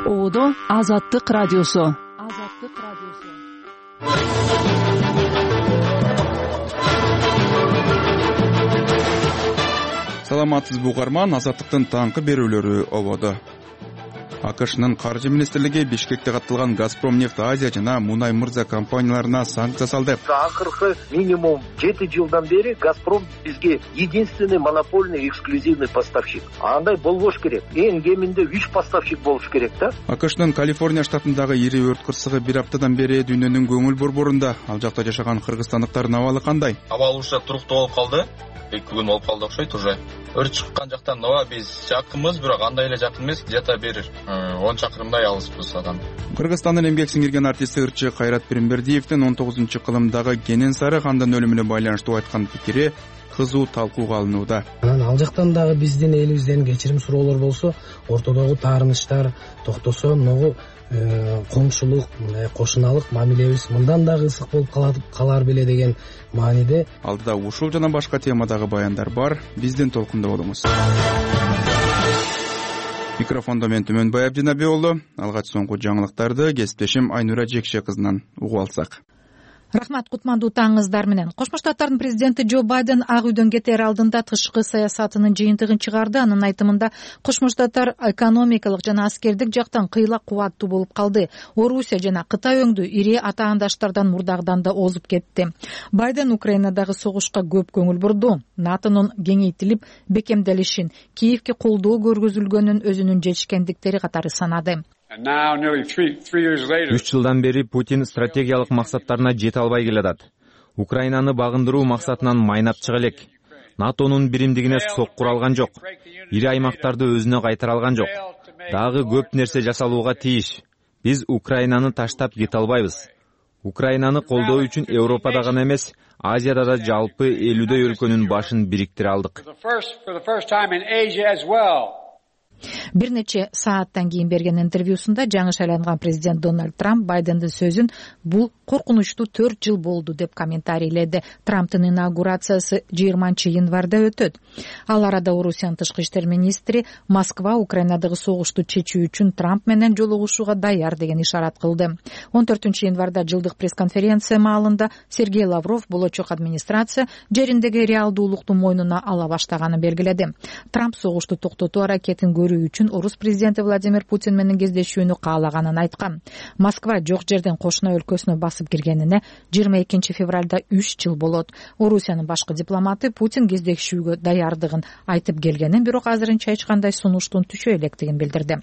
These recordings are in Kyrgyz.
Оодо Азаттык радиосу. Саламатсызбы угарман, Азаттыктын таңкы берүүлөрү ободо. АКШнын каржы министрлиги Бишкекте катталган Газпром нефть Азия жана Мунай Мырза компанияларына санкция салды. Акыркы минимум 7 жылдан бери Газпром бизге единственный монопольный эксклюзивный поставщик. Андай болбош керек. Эң кеминде 3 поставщик болуш керек да. АКШнын Калифорния штатындагы ири өрт кырсыгы бир аптадан бери дүйнөнүн көңүл борборунда. Ал жакта жашаган кыргызстандыктардын абалы кандай? Абал ушак туруктуу болуп калды. 2 күн болуп калды окшойт уже. Өрт чыккан жактан ооба биз жакынбыз, бирок андай эле жакын эмес, где-то бир 10 чакырымдай алыспыз адан. Кыргызстандын эмгек сиңирген артисти ырчы Кайрат Пиримбердиевдин 19-кылымдагы Кенен Сары хандын өлүмүнө байланыштуу айткан пикири кызуу талкууга алынууда. Ал жактан дагы биздин элибизден кечирим суроолор болсо, ортодогу таарынычтар токтосо, могу коңшулук, кошуналык мамилебиз мындан дагы ысык болуп калар беле деген мааниде. Алдыда ушул жана башка темадагы баяндар бар. Биздин толкунда болуңуз. Микрофондо мен Түмөнбай Абдинаби уулу. Алгач соңку жаңылыктарды кесиптешим Айнура Жекше кызынан угуп алсак. Рахмат, кутмандуу таңыңыздар менен. Кошмо Штаттардын президенти Джо Байден Ак үйдөн кетер алдында тышкы саясатынын жыйынтыгын чыгарды. Анын айтымында Кошмо Штаттар экономикалык жана аскердик жактан кыйла кубаттуу болуп калды. Орусия жана Кытай өңдүү ири атаандаштардан мурдагыдан да озуп кетти. Байден Украинадагы согушка көп көңүл бурду. НАТОнун кеңейтилип бекемделишин, Киевке колдоо көргөзүлгөнүн өзүнүн жетишкендиктери катары санады. 3 жылдан бери Путин стратегиялык максаттарына жете албай келатат. Украинаны багындыруу максатынан майнап чыга элек. НАТОнун биримдигине соккур алган жок. Ири аймактарды өзүнө кайтара алган жок. Дагы көп нерсе жасалууга тийиш. Биз Украинаны таштап кете албайбыз. Украинаны колдоо үчүн Европада гана эмес, Азияда да жалпы 50 өлкөнүн башын бириктире алдык. Бир нече сааттан кийин берген интервьюсунда жаңы шайланган президент Дональд Трамп Байдендин сөзүн бул коркунучтуу 4 жыл болду деп комментарийледи. Трамптын инаугурациясы 20 январда өтөт. Ал арада Орусиянын тышкы иштер министри Москва Украинадагы согушту чечүү үчүн Трамп менен жолугушууга даяр деген ишарат кылды. 14 январда жылдык пресс-конференция маалында Сергей Лавров болочок администрация жериндеги реалдуулукту мойнуна ала баштаганын белгиледи. Трамп согушту токтотуу аракетин үчүн орус президенти Владимир Путин менен кездешүүнү каалаганын айткан. Москва жок жерден кошуна өлкөсүнө басып киргенине 22 февралда 3 жыл болот. Орусиянын башкы дипломаты Путин кездешүүгө даярдыгын айтып келгенин, бирок азырынча эч кандай сунуштун түшө электигин билдирди.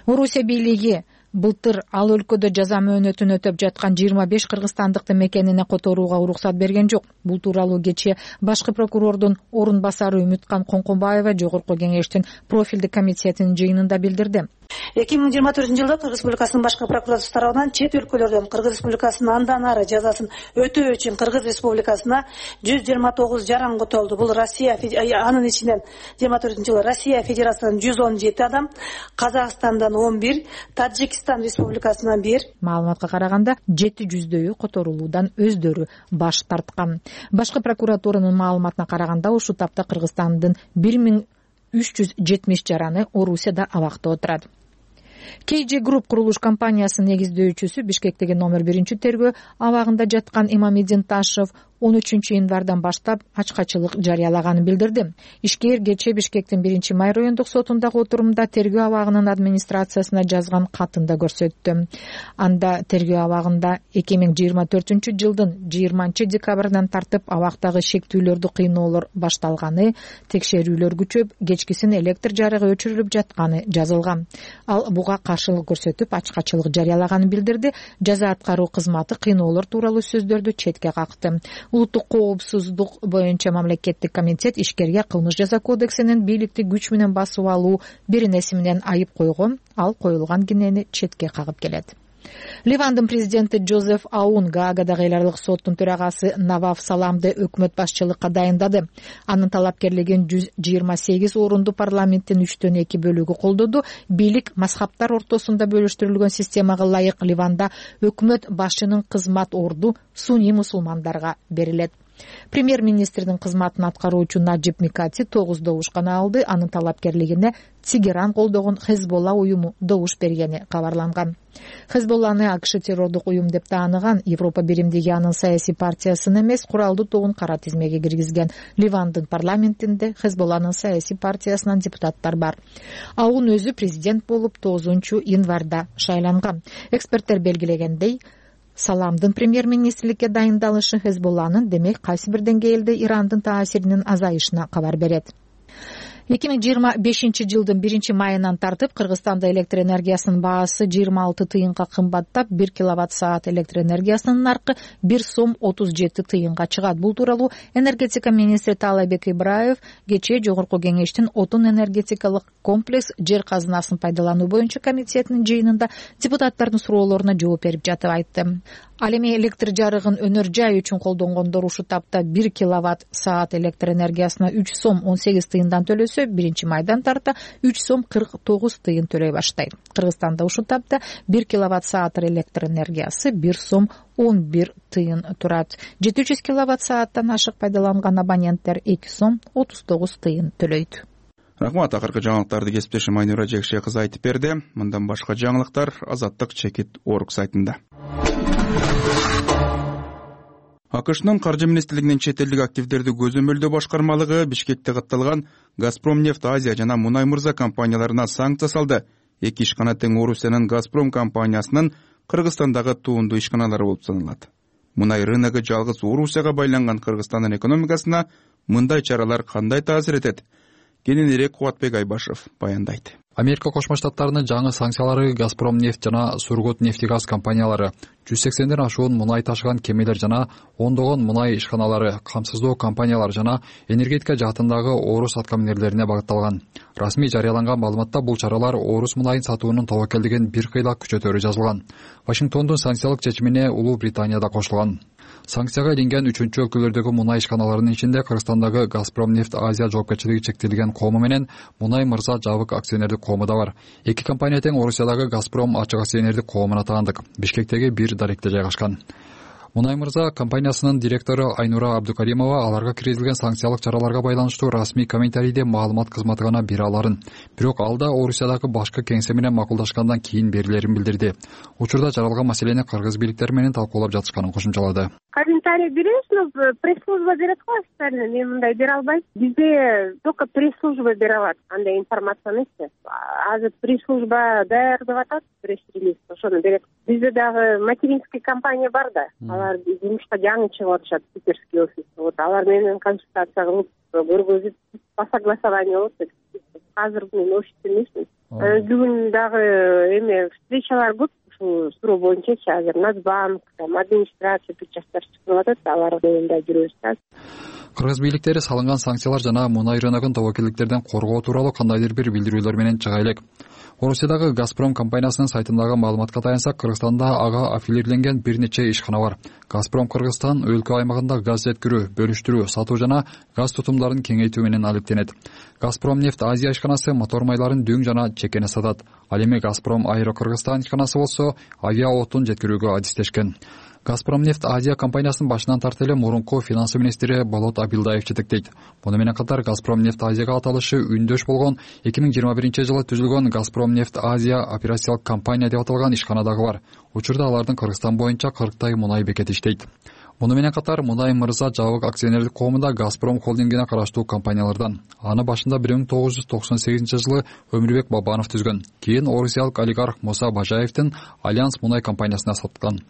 Орусия бийлиги былтыр ал өлкөдө жаза мөөнөтүн өтөп жаткан 25 кыргызстандыкты мекенине которууга уруксат берген жок. Бул тууралуу кечээ башкы прокурордун орун басары Үмүткан Коңконбаева Жогорку кеңештин профилдик комитетинин жыйынында билдирди. 2024-жылда Кыргыз Республикасынын башкы прокуратурасы тарабынан чет өлкөлөрдөн Кыргыз Республикасынын андан ары жазасын өтөө үчүн Кыргыз Республикасына 129 жаран котолду. Бул Россия, анын ичинен 24-жылы Россия Федерациясынан 117 адам, Казакстандан 11, Таджикистан Республикасынан 1. Маалыматка караганда 700дөйү которулуудан өздөрү баш тарткан. Башкы прокуратуранын маалыматына караганда ушул тапта Кыргызстандын 1370 жараны Орусияда абакта отурат. KG Group курулуш компаниясынын негиздөөчүсү Бишкектеги номер 1-тергөө абагында жаткан Имамидин Ташев 13 январдан баштап ачкачылык жарыялаганын билдирди. Ишкер кечээ Бишкектин 1-май райондук сотундагы отурумда тергөө абагынын администрациясына жазган катында көрсөттү. Анда тергөө абагында 2024 жылдын 20 декабрынан тартып абактагы шектүүлөрдү кыйноолор башталганы, текшерүүлөр күчөп, кечкисин электр жарыгы өчүрүлүп жатканы жазылган. Ал буга каршылык көрсөтүп ачкачылык жарыялаганын билдирди. Жаза аткаруу кызматы кыйноолор тууралуу сөздөрдү четке какты. Улуттук коопсуздук боюнча мамлекеттик комитет ишкерге кылмыш жаза кодексинин бийликти күч менен басып алуу биринеси менен айып койгон, ал коюлган кинени четке кагып келет. Ливандын президенти Жозеф Аун Гаагадагы эл аралык соттун төрагасы Наваф Саламды өкмөт башчылыкка дайындады. Анын талапкерлигин 128 орунду парламенттин 3/2 бөлүгү колдоду. Бийлик мазхабтар ортосунда бөлүштүрүлгөн системага ылайык Ливанда өкмөт башчынын кызмат орду сунний мусулмандарга берилет. Премьер-министрдин кызматын аткаруучу Наджиб Микати 9 добуш гана алды. Анын талапкерлигине Тегеран колдогон Хезболла уюму добуш бергени кабарланган. Хезболланы АКШ террордук уюм деп тааныган Европа биримдиги анын саясий партиясын эмес, куралдуу тобун кара тизмеге киргизген. Ливандын парламентинде Хезболланын саясий партиясынан депутаттар бар. Ал өзү президент болуп 9 январда шайланган. Эксперттер белгилегендей, Саламдын премьер-министрликке дайындалышы Хезболланын демек кайсы бир деңгээлде Ирандын таасиринин азайышына кабар берет. 2025 жылдын 1-майынан тартып Кыргызстанда электр энергиясынын баасы 26 тыйынга кымбаттап, 1 киловатт-саат электр энергиясынын наркы 1 сом 37 тыйынга чыгат. Бул тууралуу энергетика министри Таалайбек Ибраев кечээ Жогорку кеңештин отун энергетикалык комплекс жер казынасын пайдалануу боюнча комитетинин жыйынында депутаттардын суроолоруна жооп берип жатып айтты. Ал эми электр жарыгын өнөр жай үчүн колдонгондор ушул тапта 1 киловатт-саат электр энергиясына 3 сом 18 тыйындан төлөсө, 1-майдан тарта 3 сом 49 тыйын төлөй баштайт. Кыргызстанда ушул тапта 1 киловатт-саат электр энергиясы 1 сом 11 тыйын турат. 700 киловатт-сааттан ашык пайдаланган абоненттер 2 сом 39 тыйын төлөйт. Рахмат, акыркы жаңылыктарды кесиптешим Айнура Жекше кызы айтып берди. Мындан башка жаңылыктар Азаттык Чекит.org сайтында. АКШнын каржы министрлигинин чет элдик активдерди көзөмөлдөө башкармалыгы Бишкекте катталган Газпромнефть Азия жана Мунай Мырза компанияларына санкция салды. Эки ишкана тең Орусиянын Газпром компаниясынын Кыргызстандагы туундуу ишканалары болуп саналат. Мунай рыногу жалгыз Орусияга байланган Кыргызстандын экономикасына мындай чаралар кандай таасир этет? Кененирээк Кубатбек Айбашев баяндайт. Америка Кошмо Штаттарынын жаңы санкциялары Газпромнефть жана Сургутнефтегаз компаниялары, 180ден ашуун мунай ташыган кемелер жана ондогон мунай ишканалары, камсыздоо компаниялар жана энергетика жаатындагы орус аткаминерлерине багытталган. Расмий жарыяланган маалыматта бул чаралар орус мунайын сатуунун тобокелдигин бир кыйла күчөтөрү жазылган. Вашингтондун санкциялык чечимине Улуу Британия да кошулган. Санкцияга илинген 3-чү өлкөлөрдөгү мунай ишканаларынын ичинде Кыргызстандагы Газпромнефть Азия жоопкерчилиги чектелген кому менен Мунай Мырза жабык акционердик кому да бар. Эки компания тең Орусиядагы Газпром ачык акционердик коомуна таандык. Бишкектеги бир даректе жайгашкан. Мунай Мырза компаниясынын директору Айнура Абдукаримова аларга киргизилген санкциялык чараларга байланыштуу расмий комментарийде маалымат кызматы гана бере аларын. Бирок ал да Орусиядагы башкы кеңсе менен макулдашкандан кийин берилерин билдирди. Учурда жаралган маселени кыргыз бийликтери менен талкуулап жатышканын кошумчалады. Комментарий беребиз, но пресс-служба берет го официально, мен мындай бере албайм. Бизде только пресс-служба бере алат андай информацияны. Азыр пресс-служба даярдап атат пресс-релиз, ошону берет. Бизде дагы материнский компания бар да. Алар жумушка жаңы чыгып атышат, питерский офис. Вот алар менен консультация кылып көргөзүп по согласованию болот. Азыр мен офисте эмесмин. Бүгүн дагы эме встречалар көп. Суроо боюнча азыр Нацбанк, администрация причастар чыгып атат, алар менен жүрөбүз. Кыргыз бийликтери салынган санкциялар жана мунай рыногун тобокелдиктерден коргоо тууралуу кандайдыр бир билдирүүлөр менен чыга элек. Орусиядагы Газпром компаниясынын сайтындагы маалыматка таянсак, Кыргызстанда ага аффилирленген бир нече ишкана бар. Газпром Кыргызстан өлкө аймагында газ жеткирүү, бөлүштүрүү, сатуу жана газ тутумдарын кеңейтүү менен алектенет. Газпромнефть Азия ишканасы мотор майларын дөң жана чекене сатат. Ал эми Газпром Аэро Кыргызстан ишканасы болсо авиа отун жеткирүүгө адистешкен. Газпромнефть Азия компаниясынын башынан тарта эле мурунку финансы министри Болот Абилдаев жетектейт. Муну менен катар Газпромнефть Азияга аталышы үндөш болгон 2021 жылы түзүлгөн Газпромнефть Азия операциялык компания деп аталган ишкана дагы бар. Учурда алардын Кыргызстан боюнча 40 мунай бекети иштейт. Муну менен катар Мунай Мырза жабык акционердик коомунда Газпром холдингине караштуу компаниялардан. Аны башында 1998 жылы Өмүрбек Бабанов түзгөн. Кийин орусиялык олигарх Муса Бажаевдин Альянс мунай компаниясына саткан.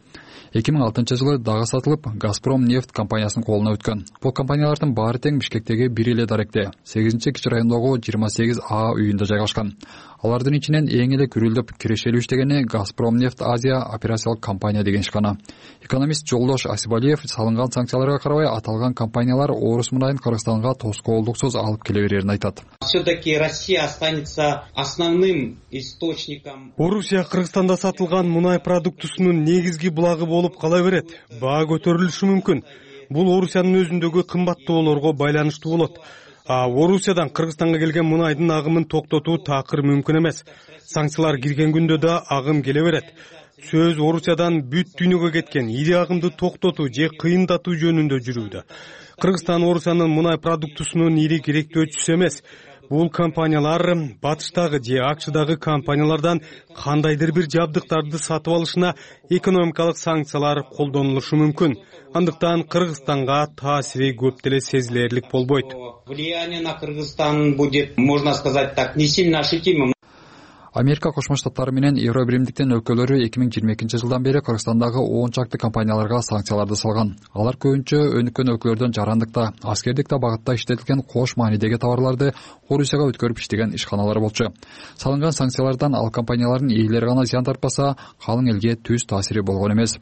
2006 жылы дагы сатылып, Газпром нефть компаниясынын колуна өткөн. Бул компаниялардын баары тең Бишкектеги бир эле даректе, 8-кичи райондогу 28А үйүндө жайгашкан. Алардын ичинен эң эле күрөлдөп кирешелүү иштегени Газпромнефть Азия операциялык компания деген ишкана. Экономист Жолдош Асибалиев салынган санкцияларга карабай аталган компаниялар орус мунайын Кыргызстанга тоскоолдуксуз алып келе берерин айтат. Все-таки Россия останется основным источником. Орусия Кыргызстанда сатылган мунай продуктусунун негизги булагы болуп кала берет. Баа көтөрүлүшү мүмкүн. Бул Орусиянын өзүндөгү кымбаттоолорго байланыштуу болот. Орусиядан Кыргызстанга келген мунайдын агымын токтотуу такыр мүмкүн эмес. Санкциялар кирген күндө да агым келе берет. сөз Орусиядан бүт дүйнөгө кеткен ири агымды токтотуу же кыйындатуу жөнүндө жүрүүдө. Кыргызстан Орусиянын мунай продуктусунун ири керектөөчүсү эмес. Бул компаниялар батыштагы же АКШдагы компаниялардан кандайдыр бир жабдыктарды сатып алышына экономикалык санкциялар колдонулушу мүмкүн. Андыктан Кыргызстанга таасири көп деле сезилерлик болбойт. Влияние на Кыргызстан будет, можно сказать так, не сильно ощутимым. Америка Кошмо Штаттары менен Евро биримдиктин өлкөлөрү 2022-жылдан бери Кыргызстандагы 10 чакты компанияларга санкцияларды салган. Алар көбүнчө өнүккөн өлкөлөрдөн жарандыкта, аскердикте багытта иштетилген кош маанидеги товарларды Орусияга өткөрүп иштеген ишканалар болчу. Салынган санкциялардан ал компаниялардын ээлери гана зыян тартпаса, калың элге түз таасири болгон эмес.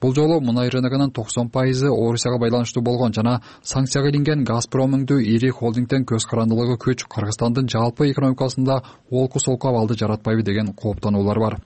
Бул жолу мунай рыногунун 90% Орусияга байланыштуу болгон жана санкцияга илинген Газпром өңдүү ири холдингден көз карандылыгы күч Кыргызстандын жалпы экономикасында олку-солку абалды жаратпайбы деген кооптонуулар бар.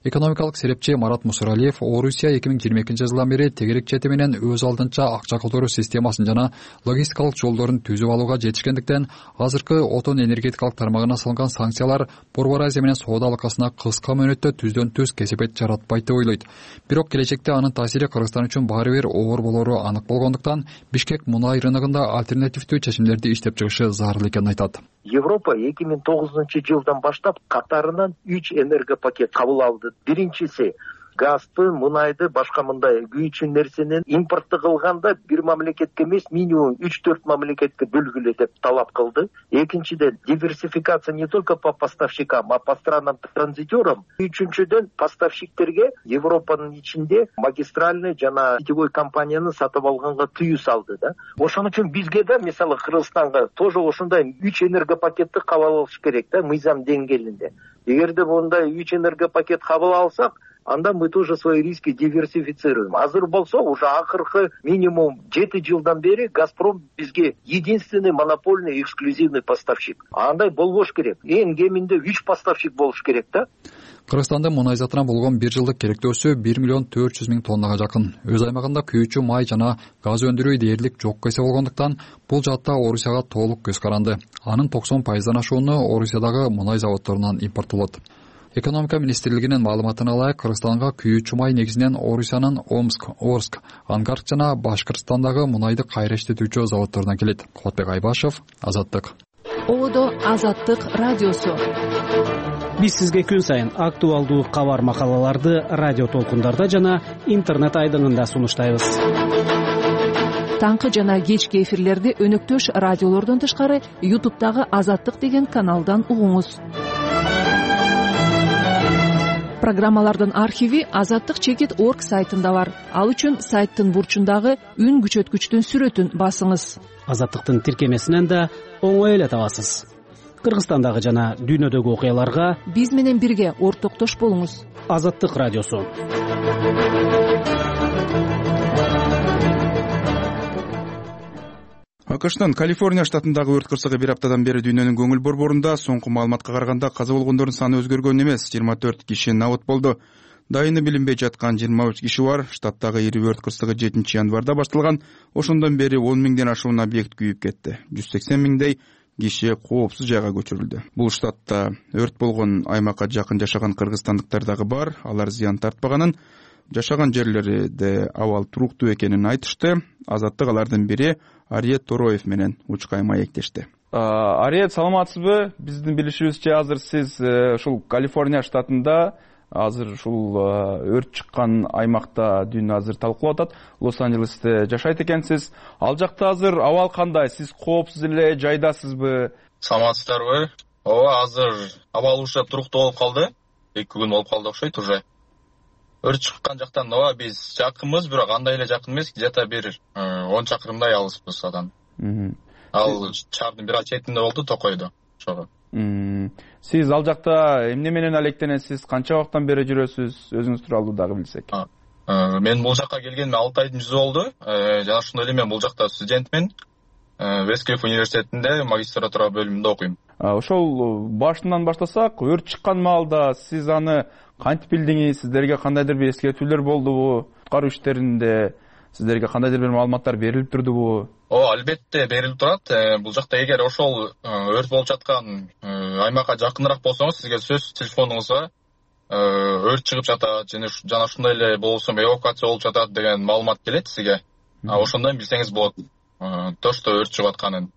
Экономикалык серепчи Марат Мусуралиев Орусия 2022-жылдан бери тегерек чети менен өз алдынча акча которуу системасын жана логистикалык жолдорун түзүп алууга жетишкендиктен, азыркы отун энергетикалык тармагына салынган санкциялар Борбор Азия менен соода алакасына кыска мөөнөттө түздөн түз кесепет жаратпайт деп ойлойт. Бирок келечекте анын таасири Кыргызстан үчүн баары бир оор болору анык болгондуктан Бишкек мунай рыногунда альтернативдүү чечимдерди иштеп чыгышы зарыл экенин айтат. Европа 2009-жылдан баштап катарынан 3 энергопакет кабыл алды. Биринчиси газды, мунайды, башка мындай күйүүчү нерсени импортты кылганда бир мамлекетке эмес, минимум 3-4 мамлекетке бөлгүлө деп талап кылды. Экинчиден, диверсификация не только по поставщикам, а по странам-транзитерам. Үчүнчүдөн, поставщиктерге Европанын ичинде магистральный жана сетевой компанияны сатып алганга тыюу салды да. Ошон үчүн бизге да, мисалы Кыргызстанга тоже ошондой 3 энергопакетти кабыл алыш керек да, мыйзам деңгээлинде. Эгерде мындай 3 энергопакет кабыл алсак, анда мы тоже свои риски диверсифицируем. Азыр болсо уже акыркы минимум 7 жылдан бери Газпром бизге единственный монопольный эксклюзивный поставщик. Андай болбош керек. Эң кеминде 3 поставщик болуш керек да. Кыргызстандын мунай затына болгон 1 жылдык керектөөсү 1,4 миллион тоннага жакын. Өз аймагында күйүүчү май жана газ өндүрүү дээрлик жок эсе болгондуктан бул жаатта Орусияга толук көз каранды. Анын 90%дан ашууну Орусиядагы мунай заводдорунан импорттолот. Экономика министрлигинин маалыматына ылайык, Кыргызстанга күйүүчү май негизинен Орусиянын Омск, Орск, Ангарск жана Башкырстандагы мунайды кайра иштетүүчү заводдорунан келет. Кубатбек Айбашев, Азаттык. Одо Азаттык радиосу. Биз сизге күн сайын актуалдуу кабар макалаларды радио толкундарда жана интернет айдыңында сунуштайбыз. Таңкы жана кечки эфирлерди өнөктөш радиолордон тышкары YouTube'дагы Азаттык деген каналдан угуңуз. Программалардын архиви azattik.org сайтында бар. Ал үчүн сайттын бурчундагы үн күчөткүчтүн сүрөтүн басыңыз. Азаттыктын тиркемесинен да оңой эле табасыз. Кыргызстандагы жана дүйнөдөгү окуяларга биз менен бирге ортоктош болуңуз. Азаттык радиосу. АКШтын Калифорния штатындагы өрт кырсыгы бир аптадан бери дүйнөнүн көңүл борборунда. Соңку маалыматка караганда каза болгондордун саны өзгөргөн эмес, 24 киши набыт болду. Дайыны билинбей жаткан 23 киши бар. Штаттагы ири өрт кырсыгы 7-январда башталган. Ошондон бери 10 миңден ашуун объект күйүп кетти. 180 миңдей киши коопсуз жайга көчүрүлдү. Бул штатта өрт болгон аймакка жакын жашаган кыргызстандыктар дагы бар. Алар зыян тартпаганын, жашаган жерлерде абал туруктуу экенин айтышты. Азаттык алардын бири Ариет Тороев менен учкай маектешти. Ариет, саламатсызбы? Биздин билишибизче азыр сиз ушул Калифорния штатында азыр ушул өрт чыккан аймакта дүйнө азыр талкуулап атат. Лос-Анджелесте жашайт экенсиз. Ал жакта азыр абал кандай? Сиз коопсуз эле жайдасызбы? Саламатсыздарбы? Ооба, азыр абал уже туруктуу болуп калды. 2 күн болуп калды окшойт уже. Өрт чыккан жактан ооба биз жакынбыз, бирок андай эле жакын эмес, где-то бир 10 чакырымдай алыспыз адан. Ал шаардын бир четинде болду, Токойдо. Ошого. Сиз ал жакта эмне менен алектенесиз? Канча убакыттан бери жүрөсүз? Өзүңүз тууралуу дагы билсек. Мен бул жакка келгениме 6 айдын жүзү болду. Жана ошондой эле мен бул жакта студентмин. Вестклифф университетинде магистратура бөлүмүндө окуйм. Ошол башынан баштасак, өрт чыккан маалда сиз аны кантип билдиңиз? Сиздерге кандайдыр бир эскертүүлөр болдубу? Куткаруу иштеринде сиздерге кандайдыр бир маалыматтар берилип турдубу? Албетте берилип турат. Бул жакта эгер ошол өрт болуп жаткан аймакка жакыныраак болсоңуз, сизге сөз телефонуңузга өрт чыгып жатат жана ушундай эле болсо эвакуация болуп жатат деген маалымат келет сизге. Ошондон билсеңиз болот точно өрт чыгып атканын.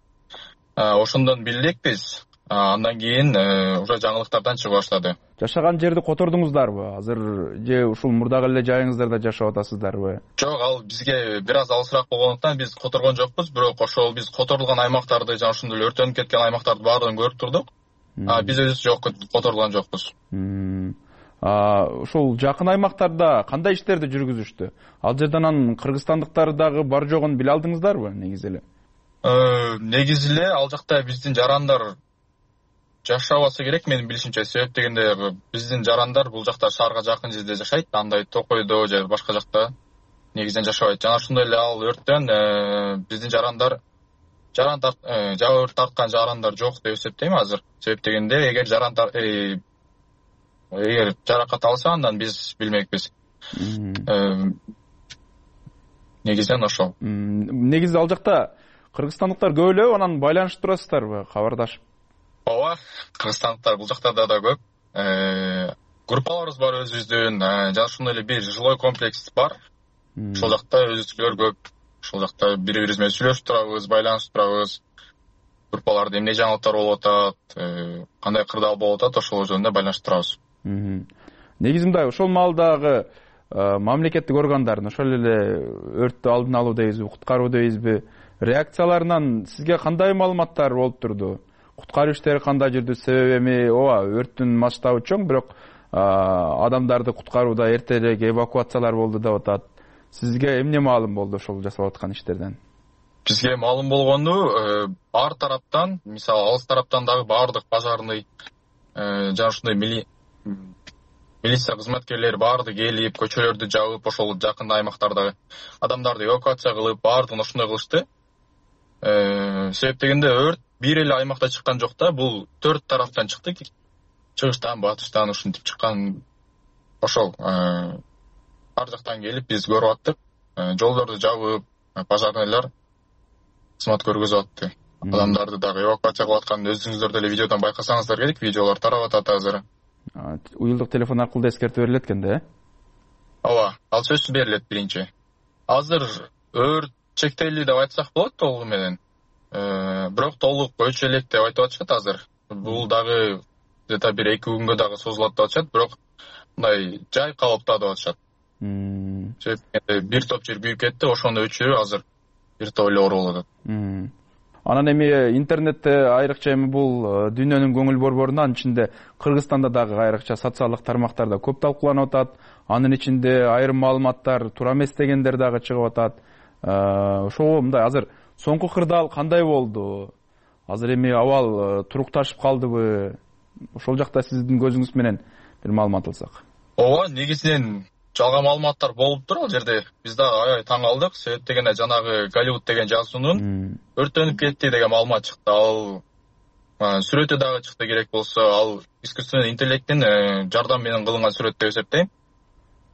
Ошондон билдик биз. Андан кийин уже жаңылыктардан чыга баштады. Жашаган жерди котордуңуздарбы? Азыр же ушул мурдагы эле жайыңыздарда жашап атасыздарбы? Жок, ал бизге бир аз алысыраак болгондуктан биз которгон жокпуз, бирок ошол биз которулган аймактарды жана ошондой эле өрттөнүп кеткен аймактарды баардыгын көрүп турдук. Биз өзүбүз жок которулган жокпуз. Ушул жакын аймактарда кандай иштерди жүргүзүштү? Ал жерден анан кыргызстандыктар дагы бар жогун биле алдыңыздарбы негизи эле? Негизи эле ал жакта биздин жарандар жашабаса керек менин билишимче. Себеп дегенде биздин жарандар бул жакта шаарга жакын жерде жашайт, андай Токойдо же башка жакта негизинен жашабайт. Жана ошондой эле ал өрттөн биздин жарандар жабыр тарткан жарандар жок деп эсептейм азыр. Себеп дегенде эгер жаракат алса андан биз билмекпиз. Негизинен ошол. Негизи ал жакта кыргызстандыктар көп эле, анан байланышып турасыздарбы, кабардашып? Ооба, кыргызстандыктар бул жакта да көп. Группаларыбыз бар өзүбүздүн, жана ошондой эле бир жилой комплекс бар. Ошол жакта өзүбүзчүлөр көп. Ошол жакта бири-бирибиз менен сүйлөшүп турабыз, байланышып турабыз. Группаларда эмне жаңылыктар болуп атат, кандай кырдаал болуп атат, ошол жөнүндө байланышып турабыз. Негизи мындай, ошол маалдагы мамлекеттик органдардын ошол эле өрттү алдын алуу дейбизби, куткаруу дейбизби, реакцияларынан сизге кандай маалыматтар болуп турду? Куткаруу иштери кандай жүрдү? Себеби эми ооба өрттүн масштабы чоң, бирок адамдарды куткарууда эртерээк эвакуациялар болду деп атат. Сизге эмне маалым болду ошол жасалып аткан иштерден? Бизге маалым болгону ар тараптан, мисалы алыс тараптан дагы баардык пожарный жана ушундай милиция кызматкерлери баардыгы келип, көчөлөрдү жабып, ошол жакын аймактардагы адамдарды эвакуация кылып, баардыгын ошондой кылышты. Себеп дегенде өрт бир эле аймакта чыккан жок да, бул 4 тараптан чыкты. Чыгыштан, батыштан ушинтип чыккан. Ошол ар жактан келип биз көрүп аттык. Жолдорду жабып, пожарныйлар кызмат көргөзүп атты. Адамдарды дагы эвакуация кылып атканын өзүңүздөр деле видеодон байкасаңыздар керек. Видеолор тарап атат азыр. Уюлдук телефон аркылуу да эскертүү берилет экен да? Ооба, ал сөзсүз берилет биринчи. Азыр өрт чектелди деп айтсак болот толугу менен. Бирок толук өчө элек деп айтып атышат азыр. Бул дагы где-то бир 2 күнгө дагы созулат деп атышат, бирок мындай жай калыпта деп атышат. Себеп бир топ жер күйүп кетти, ошону өчүрүү азыр бир топ эле оор болуп атат. Анан эми интернетте айрыкча эми бул дүйнөнүн көңүл борборунда, анын ичинде Кыргызстанда дагы айрыкча социалдык тармактарда көп талкууланып атат. Анын ичинде айрым маалыматтар туура эмес дегендер дагы чыгып атат. Ошого мындай азыр соңку кырдаал кандай болду? Азыр эми абал турукташып калдыбы? Ошол жакта сиздин көзүңүз менен бир маалымат алсак. Ооба, негизинен жалган маалыматтар болуп тур ал жерде. Биз дагы аябай таң калдык. Себеп дегенде жанагы Голливуд деген жазуунун өрттөнүп кетти деген маалымат чыкты. Ал сүрөтү дагы чыкты, керек болсо ал искусственный интеллекттин жардамы менен кылынган сүрөт деп эсептейм.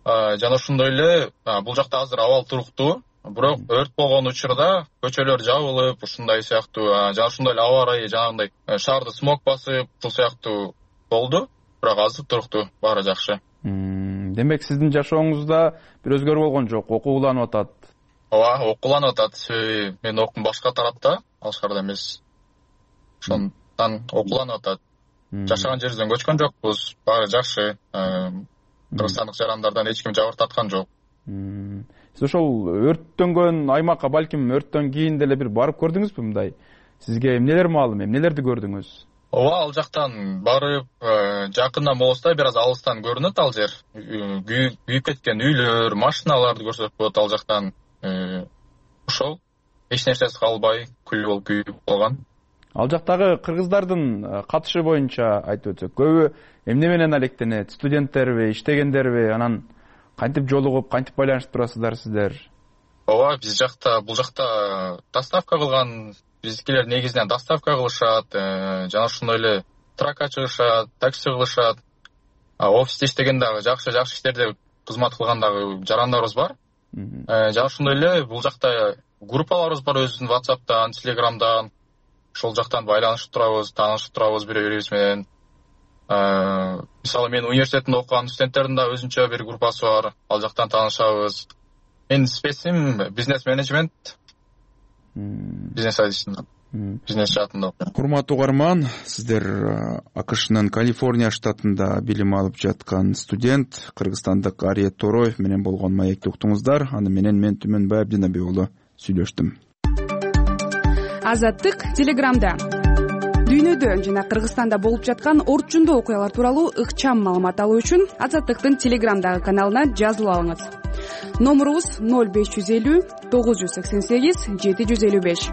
Жана ошондой эле бул жакта азыр абал туруктуу. Бирок өрт болгон учурда көчөлөр жабылып, ушундай сыяктуу жана ошондой эле аба ырайы жанагындай шаарды смог басып, ушул сыяктуу болду. Бирок азыр туруктуу, баары жакшы. Демек сиздин жашооңузда бир өзгөрүү болгон жок, окууланып атат. Ооба, окууланып атат. Себеби мен окуум башка тарапта, алышкарда эмес. Ошондон окууланып атат. Жашаган жерибизден көчкөн жокпуз, баары жакшы. Кыргызстандык жарандардан эч ким жабыр тарткан жок. Сиз ошол өрттөнгөн аймакка балким өрттөн кийин деле бир барып көрдүңүзбү мындай? Сизге эмнелер маалым, эмнелерди көрдүңүз? Ооба, ал жактан барып жакындан болсо да бир аз алыстан көрүнөт ал жер. Күйүп кеткен үйлөр, машиналарды көрсөк болот ал жактан. Ошол эч нерсеси калбай күл болуп күйүп калган. Ал жактагы кыргыздардын катышы боюнча айтып өтсөк, көбү эмне менен алектенет? Студенттерби, иштегендерби? Анан кантип жолугуп, кантип байланышып турасыздар сиздер? Ооба, бул жакта доставка кылган, биздикилер негизинен доставка кылышат, жана ошондой эле тракка чыгышат, такси кылышат. Офисте иштеген дагы жакшы иштерде кызмат кылган дагы жарандарыбыз бар. Жана ошондой эле бул жакта группаларыбыз бар өзүбүздүн WhatsApp'тан, Telegram'дан. Ошол жактан байланышып турабыз, таанышып турабыз бири-бирибиз менен. мисалы мен университетинде окуган студенттердин да өзүнчө бир группасы бар, ал жактан таанышабыз. Менин специм бизнес менеджмент, бизнес адисинде, бизнес жаатында. Урматтуу угарман, сиздер АКШнын Калифорния штатында билим алып жаткан студент кыргызстандык Ариет Тороев менен болгон маекти уктуңуздар. Аны менен мен Түмөнбай Абдинабек уулу сүйлөштүм. Азаттык Телеграмда дүйнөдө жана Кыргызстанда болуп жаткан орчундуу окуялар тууралуу ыкчам маалымат алуу үчүн Азаттыктын Телеграмдагы каналына жазылып алыңыз. Номурубуз 0550 988 755.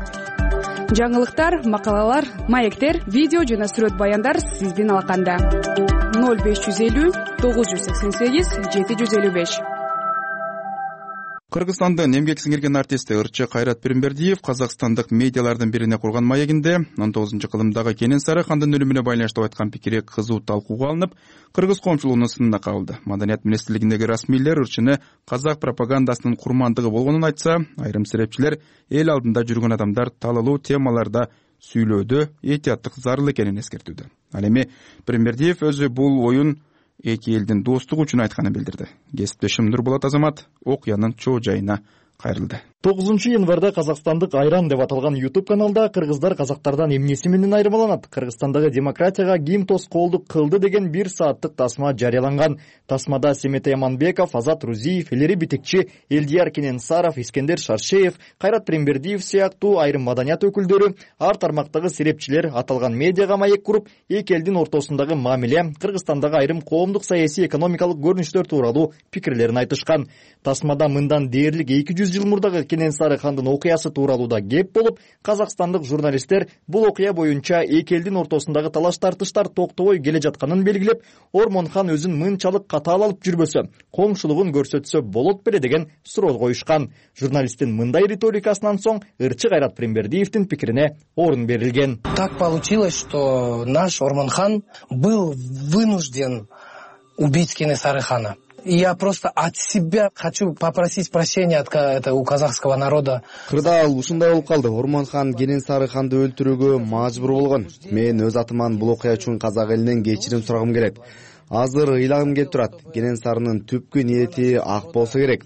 Жаңылыктар, макалалар, маектер, видео жана сүрөт баяндар сиздин алаканда. 0550 988 755. Кыргызстандын эмгек сиңирген артисти ырчы Кайрат Пиримбердиев казакстандык медиалардын бирине курган маегинде 19-кылымдагы Кенен Сарыхандын өлүмүнө байланыштуу айткан пикири кызуу талкууга алынып, кыргыз коомчулугунун сынына кабылды. Маданият министрлигиндеги расмийлер ырчыны казак пропагандасынын курмандыгы болгонун айтса, айрым серепчилер эл алдында жүргөн адамдар талалуу темаларда сүйлөөдө этияттык зарыл экенин эскертүүдө. Ал эми Пиримбердиев өзү бул оюн эки элдин достугу үчүн айтканын билдирди. Кесиптешим Нурболот Азамат окуянын чоо жайына кайрылды. 9-январда казакстандык Айран деп аталган YouTube каналда кыргыздар казактардан эмнеси менен айырмаланат, Кыргызстандагы демократияга ким тоскоолдук кылды деген 1 сааттык тасма жарыяланган. Тасмада Семет Яманбеков, Азат Рузиев, Элери Битекчи, Элдияр Кененсаров, Искендер Шаршеев, Кайрат Пиримбердиев сыяктуу айрым маданият өкүлдөрү, ар тармактагы серепчилер аталган медиага маек куруп, эки элдин ортосундагы мамиле, Кыргызстандагы айрым коомдук, саясий, экономикалык көрүнүштөр тууралуу пикирлерин айтышкан. Тасмада мындан дээрлик 200 жыл мурдагы Кенен Сарыхандын окуясы тууралуу да кеп болуп, казакстандык журналисттер бул окуя боюнча эки элдин ортосундагы талаш тартыштар токтобой келе жатканын белгилеп, Ормонхан өзүн мынчалык катаал алып жүрбөсө, коңшулугун көрсөтсө болот беле деген суроо коюшкан. Журналисттин мындай риторикасынан соң ырчы Кайрат Пиримбердиевдин пикирине орун берилген. Так получилось, что наш Ормонхан был вынужден убить Кенен Сарыхана. Я просто от себя хочу попросить прощения у казахского народа. Кырдаал ушундай болуп калды. Ормонхан Кенен Сарыханды өлтүрүүгө мажбур болгон. Мен өз атыман бул окуя үчүн казак элинен кечирим сурагым келет. Азыр ыйлагым келип турат. Кенен Сарынын түпкү ниети ак болсо керек.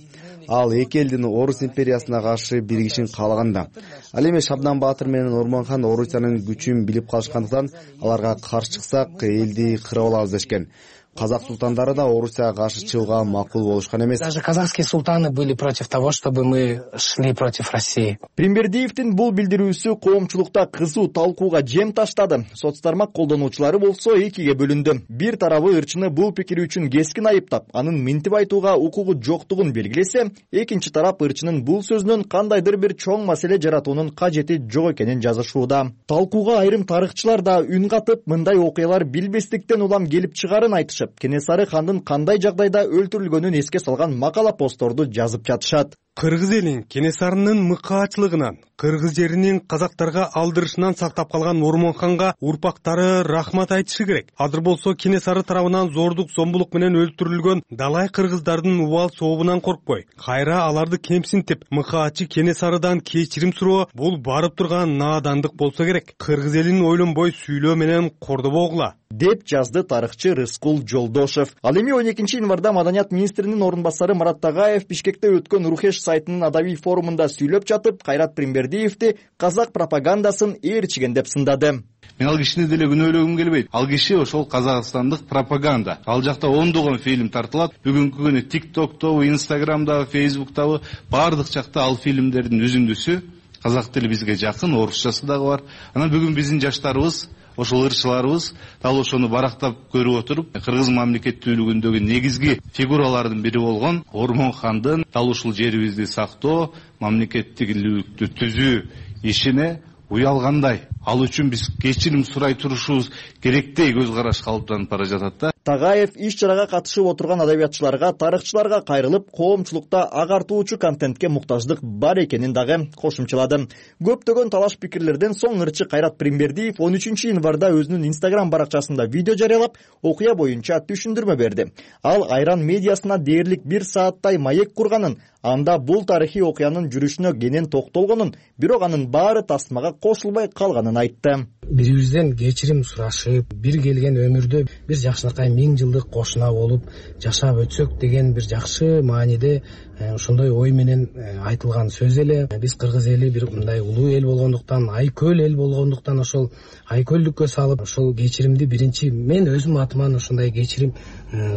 Ал эки элдин Орус империясына каршы биригишин каалаганда. Ал эми Шабдан Баатыр менен Ормонхан Орусиянын күчүн билип калышкандыктан аларга каршы чыксак элди кырып алабыз дешкен. Казак султандары да Орусияга каршы чыгууга макул болушкан эмес. Даже казахские султаны были против того, чтобы мы шли против России. Пиримбердиевдин бул билдирүүсү коомчулукта кызуу талкууга жем таштады. Соц тармак колдонуучулары болсо экиге бөлүндү. Бир тарабы ырчыны бул пикири үчүн кескин айыптап, анын минтип айтууга укугу жоктугун белгилесе, экинчи тарап ырчынын бул сөзүнөн кандайдыр бир чоң маселе жаратуунун кажети жок экенин жазышууда. Талкууга айрым тарыхчылар да үн катып, мындай окуялар билбестиктен улам келип чыгарын айтышып, Кенен Сарыхандын кандай жагдайда өлтүрүлгөнүн эске салган макала постторду жазып жатышат. Кыргыз элин Кенесарынын мыкаачылыгынан, кыргыз жеринин казактарга алдырышынан сактап калган Ормонханга урпактары рахмат айтышы керек. Азыр болсо Кенесары тарабынан зордук зомбулук менен өлтүрүлгөн далай кыргыздардын убал сообунан коркпой, кайра аларды кемсинтип, мыкаачы Кенесарыдан кечирим суроо бул барып турган наадандык болсо керек. Кыргыз элин ойлонбой сүйлөө менен кордобогула деп жазды тарыхчы Рыскул Жолдошев. Ал эми 12-январда Маданият министринин орун басары Марат Тагаев Бишкекте өткөн Рухеш сайтынын адабий форумунда сүйлөп жатып, Кайрат Пиримбердиевди казак пропагандасын ээрчиген деп сындады. Мен ал кишини деле күнөөлөгүм келбейт. Ал киши ошол казакстандык пропаганда. Ал жакта ондогон фильм тартылат. Бүгүнкү күнү TikTok'тобу, Instagram'дагы, Facebook'табы баардык жакта ал фильмдердин үзүндүсү. Казак тили бизге жакын, орусчасы дагы бар. Анан бүгүн биздин жаштарыбыз, ошол ырчыларыбыз дал ошону барактап көрүп отуруп, кыргыз мамлекеттүүлүгүндөгү негизги фигуралардын бири болгон Ормонхандын дал ушул жерибизди сактоо, мамлекеттүүлүктү түзүү ишине уялгандай. Ал үчүн биз кечирим сурай турушубуз керектей көз караш калыптанып бара жатат да. Тагаев иш чарага катышып отурган адабиятчыларга, тарыхчыларга кайрылып, коомчулукта агартуучу контентке муктаждык бар экенин дагы кошумчалады. Көптөгөн талаш пикирлерден соң ырчы Кайрат Пиримбердиев 13-январда өзүнүн Instagram баракчасында видео жарыялап, окуя боюнча түшүндүрмө берди. Ал Айран медиасына дээрлик 1 сааттай маек курганын, анда бул тарыхый окуянын жүрүшүнө кенен токтолгонун, бирок анын баары тасмага кошулбай калганын айтты. Бирибизден кечирим сурашып, бир келген өмүрдө бир жакшынакай миң жылдык кошуна болуп жашап өтсөк деген бир жакшы мааниде ошондой ой менен айтылган сөз эле. Биз кыргыз эли бир мындай улуу эл болгондуктан, айкөл эл болгондуктан ошол айкөлдүккө салып ошол кечиримди биринчи мен өзүм атыман ошондой кечирим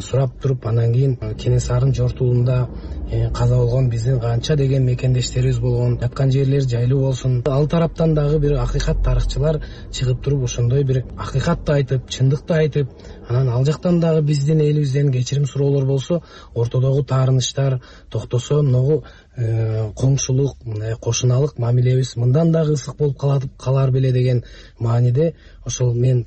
сурап туруп, анан кийин Кенесарынын жортуулунда каза болгон биздин канча деген мекендештерибиз болгон, жаткан жерлер жайлуу болсун. Ал тараптан дагы бир акыйкат тарыхчылар чыгып туруп ошондой бир акыйкатты айтып, чындыкты айтып, анан ал жактан дагы биздин элибизден кечирим суроолор болсо, ортодогу таарынычтар токтосо, могу коңшулук, кошуналык мамилебиз мындан дагы ысык болуп калар беле деген мааниде ошол мен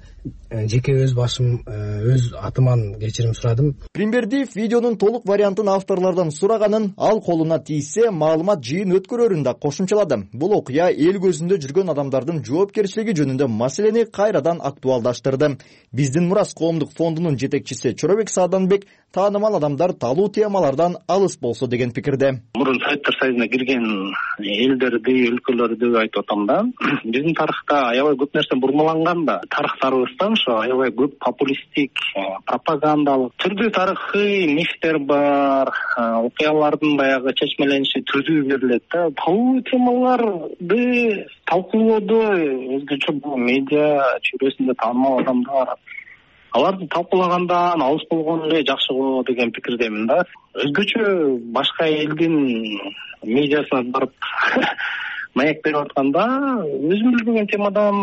жеке өз башым, өз атыман кечирим сурадым. Премьердиев видеонун толук вариантын авторлордон сураганын, ал колуна тийсе маалымат жыйын өткөрөрүн да кошумчалады. Бул окуя эл көзүндө жүргөн адамдардын жоопкерчилиги жөнүндө маселени кайрадан актуалдаштырды. Биздин мурас коомдук фондунун жетекчиси Чоробек Сааданбек таанымал адамдар талуу темалардан алыс болсо деген пикирде. Мурун Советтер Союзуна кирген элдерди, өлкөлөрдү айтып атам да. Биздин тарыхта аябай көп нерсе бурмаланган да. Тарыхтарыбыздан ошо аябай көп популисттик, пропагандалык түрдүү тарыхый мифтер бар, окуялардын баягы чечмелениши түрдүү берилет да. Талуу темаларды талкуулоодо өзгөчө бул медиа чөйрөсүндө таанымал адамдар аларды талкуулагандан алыс болгон эле жакшы болот деген пикирдемин да. Өзгөчө башка элдин медиасына барып маек берип атканда өзүм билбеген темадан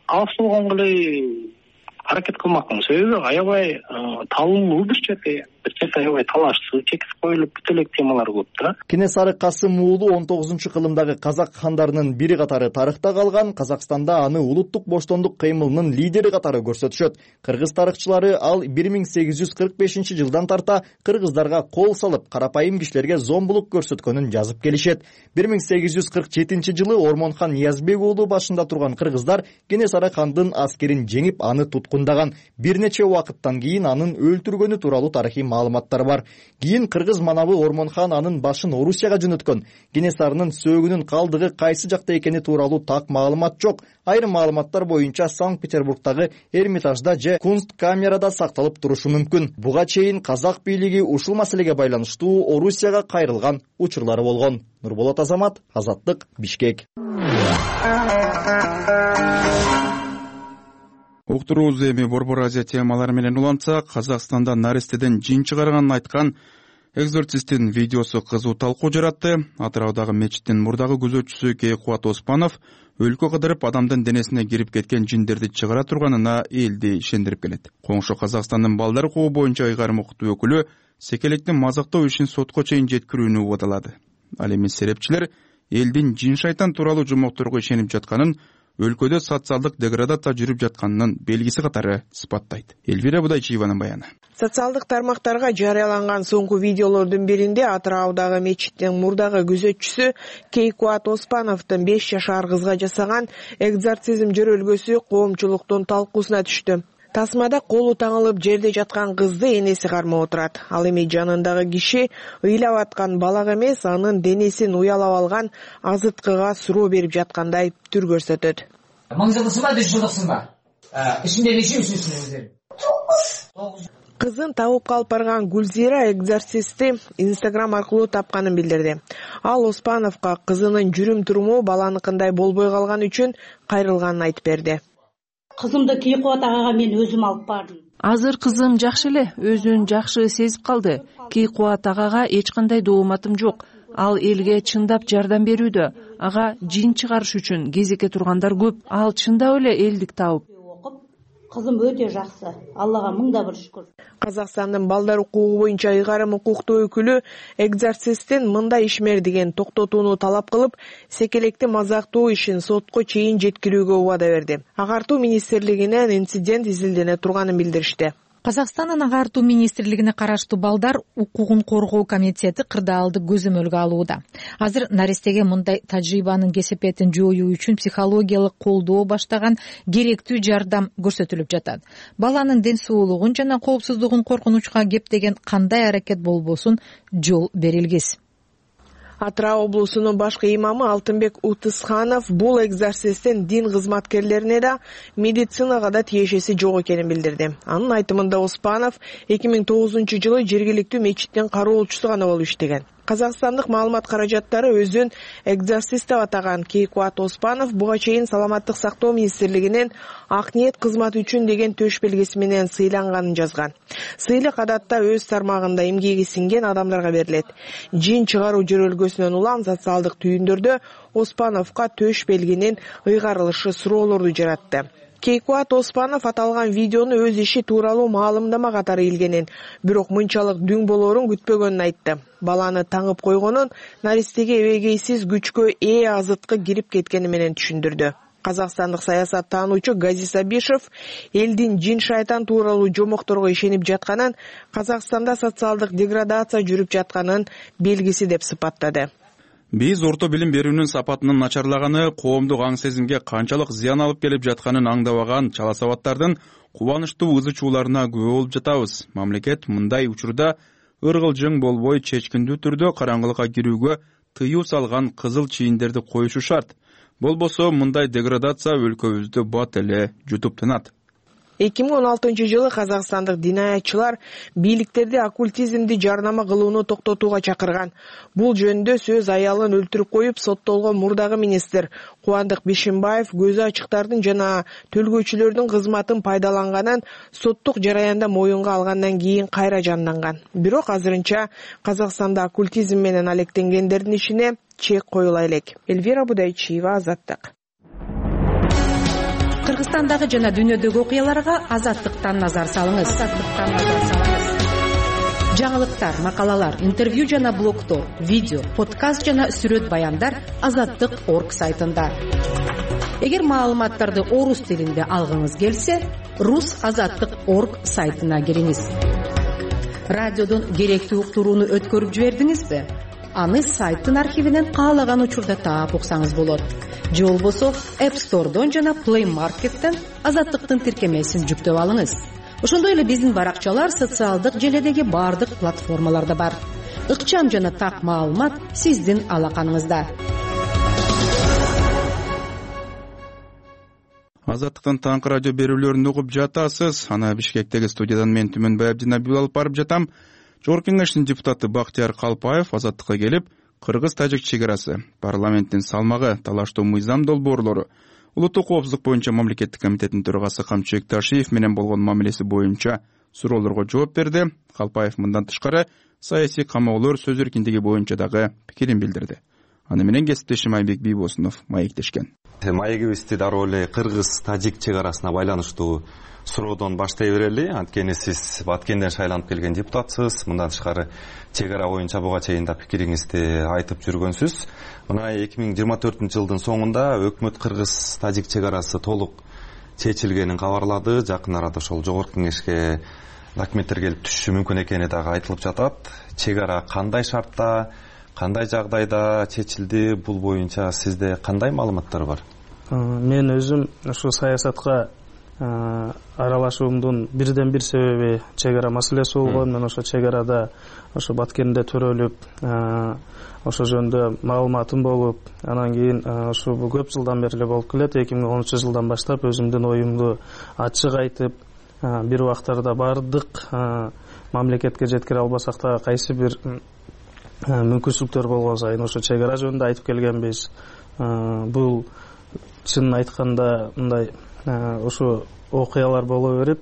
алыс болгонго эле аракет кылмакмын. Себеби аябай талуу бир черде аябай талашсыз, чексиз коюлуп бүт элек темалар көп да. Кенесары Касым уулу 19-кылымдагы казак хандарынын бири катары тарыхта калган. Казакстанда аны улуттук боштондук кыймылынын лидери катары көрсөтүшөт. Кыргыз тарыхчылары ал 1845-жылдан тарта кыргыздарга кол салып, карапайым кишилерге зомбулук көрсөткөнүн жазып келишет. 1847-жылы Ормонхан Ниязбек уулу башында турган кыргыздар Кенесары хандын аскерин жеңип, аны туткундаган. Бир нече убакыттан кийин анын өлтүргөнү тууралуу тарыхый маалыматтар бар. Кийин кыргыз манабы Ормонхан анын башын Орусияга жөнөткөн. Кенесарынын сөөгүнүн калдыгы кайсы жакта экени тууралуу так маалымат жок. Айрым маалыматтар боюнча Санкт-Петербургдагы Эрмитажда же Кунсткамерада сакталып турушу мүмкүн. Буга чейин казак бийлиги ушул маселеге байланыштуу Орусияга кайрылган учурлары болгон. Нурболот Азамат, Азаттык, Бишкек. Уктуруубуз эми Борбор Азия темалары менен улантсак, Казакстанда наристеден жин чыгарганын айткан экзорцисттин видеосу кызуу талкуу жаратты. Атыраудагы мечиттин мурдагы күзөтчүсү Кейкубат Оспанов өлкө кыдырып адамдын денесине кирип кеткен жиндерди чыгара турганына элди ишендирип келет. Коңшу Казакстандын балдар укугу боюнча ыйгарым укуктуу өкүлү секелекти мазактоо ишин сотко чейин жеткирүүнү убадалады. Ал эми серепчилер элдин жин шайтан тууралуу жомокторго ишенип жатканын, өлкөдө социалдык деградация жүрүп жатканынын белгиси катары сыпаттайт. Элвира Будайчиеванын баяны. Социалдык тармактарга жарыяланган соңку видеолордун биринде Атыраудагы мечиттин мурдагы күзөтчүсү Кейкубат Оспановдун 5 жашар кызга жасаган экзорцизм жөрөлгөсү коомчулуктун талкуусуна түштү. Тасмада колу таңылып жерде жаткан кызды энеси кармап отурат. Ал эми жанындагы киши ыйлап аткан балак эмес, анын денесин уялап алган азыткыга суроо берип жаткандай түр көрсөтөт. 1000 жылдыксыңбы, 100 жылдыксыңбы? Ишинде нече үчүнсүң? Кызын табып калып барган Гүлзира экзорцистти Instagram аркылуу тапканын билдирди. Ал Оспановго кызынын жүрүм-туруму баланыкындай болбой калган үчүн кайрылганын айтып берди. Кызымды Кейкубат агага мен өзүм алып бардым. Азыр кызым жакшы эле, өзүн жакшы сезип калды. Кейкубат агага эч кандай дооматым жок. Ал элге чындап жардам берүүдө. Ага жин чыгарыш үчүн кезекке тургандар көп. Ал чындап эле элдик табып. Кызым өтө жакшы. Аллага мыңда бир шүкүр. Казакстандын балдар укугу боюнча ыйгарым укуктуу өкүлү экзорцисттин мындай ишмердигин токтотууну талап кылып, секелекти мазактоо ишин сотко чейин жеткирүүгө убада берди. Агартуу министрлигинен инцидент изилдене турганын билдиришти. Казакстандын агартуу министрлигине караштуу балдар укугун коргоо комитети кырдаалды көзөмөлгө алууда. Азыр наристеге мындай тажрыйбанын кесепетин жоюу үчүн психологиялык колдоо баштаган керектүү жардам көрсөтүлүп жатат. Баланын ден соолугун жана коопсуздугун коркунучка кептеген кандай аракет болбосун жол берилгис. Атырау облусунун башкы имамы Алтынбек Утысханов бул экзорцисттин дин кызматкерлерине да медицинага да тиешеси жок экенин билдирди. Анын айтымында Оспанов 2009-жылы жергиликтүү мечиттин кароолчусу гана болуп иштеген. Казакстандык маалымат каражаттары өзүн экзорцист деп атаган Кейкуат Оспанов буга чейин Саламаттык сактоо министрлигинен ак ниет кызматы үчүн деген төш белгиси менен сыйланганын жазган. Сыйлык адатта өз тармагында эмгеги сиңген адамдарга берилет. Жин чыгаруу жөрөлгөсүнөн улам социалдык түйүндөрдө Оспановго төш белгинин ыйгарылышы суроолорду жаратты. Кейкуат Оспанов аталган видеону өз иши тууралуу маалымдама катары илгенин, бирок мынчалык дүң болоорун күтпөгөнүн айтты. Баланы таңып койгонун наристеге эбегейсиз күчкө ээ азыткы кирип кеткени менен түшүндүрдү. Казакстандык саясаттануучу Газис Абишев элдин жин шайтан тууралуу жомокторго ишенип жатканын, Казакстанда социалдык деградация жүрүп жатканын белгиси деп сыпаттады. Биз орто билим берүүнүн сапатынын начарлаганы, коомдук аң сезимге канчалык зыян алып келип жатканын аңдабаган чала сабаттардын кубанычтуу ызы чууларына күбө болуп жатабыз. Мамлекет мындай учурда ыргылжың болбой чечкиндүү түрдө караңгылыкка кирүүгө тыюу салган кызыл чийиндерди коюшу шарт. Болбосо мындай деградация өлкөбүздү бат эле жутуп тынат. 2016-жылы казакстандык динаятчылар бийликтерди оккультизмди жарнама кылууну токтотууга чакырган. Бул жөнүндө сөз аялын өлтүрүп коюп соттолгон мурдагы министр Кубандык Бишимбаев көзү ачыктардын жана төлгөөчүлөрдүн кызматын пайдаланганын соттук жараянда моюнга алгандан кийин кайра жанданган. Бирок азырынча Казакстанда оккультизм менен алектенгендердин ишине чек коюла элек. Эльвира Будайчиева, Азаттык. Кыргызстандагы жана дүйнөдөгү окуяларга Азаттыктан назар салыңыз. Жаңылыктар, макалалар, интервью жана блогтор, видео, подкаст жана сүрөт баяндар Азаттык.орг сайтында. Эгер маалыматтарды орус тилинде алгыңыз келсе, rus.azattik.org сайтына кириңиз. Радиодон керектүү уктурууну өткөрүп жибердиңизби? Аны сайттын архивинен каалаган учурда таап уксаңыз болот. Же болбосо App Store'дон жана Play Market'тен Азаттыктын тиркемесин жүктөп алыңыз. Ошондой эле биздин баракчалар социалдык желедеги бардык платформаларда бар. Ыкчам жана так маалымат сиздин алаканыңызда. Азаттыктын таңкы радио берүүлөрүн угуп жатасыз. Аны Бишкектеги студиядан мен Түмөнбай Абдинабиев алып барып жатам. Жогорку кеңештин депутаты Бактияр Калпаев Азаттыкка келип, Кыргыз-Тажик чек арасы, парламенттин салмагы, талаштуу мыйзам долбоорлору, улуттук коопсуздук боюнча мамлекеттик комитеттин төрагасы Камчыбек Ташиев менен болгон мамилеси боюнча суроолорго жооп берди. Калпаев мындан тышкары саясий камоолор сөз эркиндиги боюнча дагы пикирин билдирди. Аны менен кесиптешим Айбек Бийбосунов маектешкен. Маегибизди дароо эле Кыргыз-Тажик чек арасына байланыштуу суроодон баштай берели. Анткени сиз Баткенден шайланып келген депутатсыз. Мындан тышкары чек ара боюнча буга чейин да пикириңизди айтып жүргөнсүз. Мына 2024-жылдын соңунда өкмөт Кыргыз-Тажик чек арасы толук чечилгенин кабарлады. Жакын арада ошол жогорку кеңешке документтер келип түшүшү мүмкүн экени дагы айтылып жатат. Чек ара кандай шартта, кандай жагдайда чечилди? Бул боюнча сизде кандай маалыматтар бар? Мен өзүм ушу саясатка аралашуумдун бирден бир себеби чек ара маселеси болгон. Мен ошо чек арада ошо Баткенде төрөлүп, ошо жөнүндө маалыматым болуп, анан кийин ушу көп жылдан бери эле болуп келет. 2013-жылдан баштап өзүмдүн оюмду ачык айтып, бир убактарда бардык мамлекетке жеткире албасак да кайсы бир мүмкүнчүлүктөр болгон сайын ошо чек ара жөнүндө айтып келгенбиз. Бул чынын айтканда мындай ушу окуялар боло берип,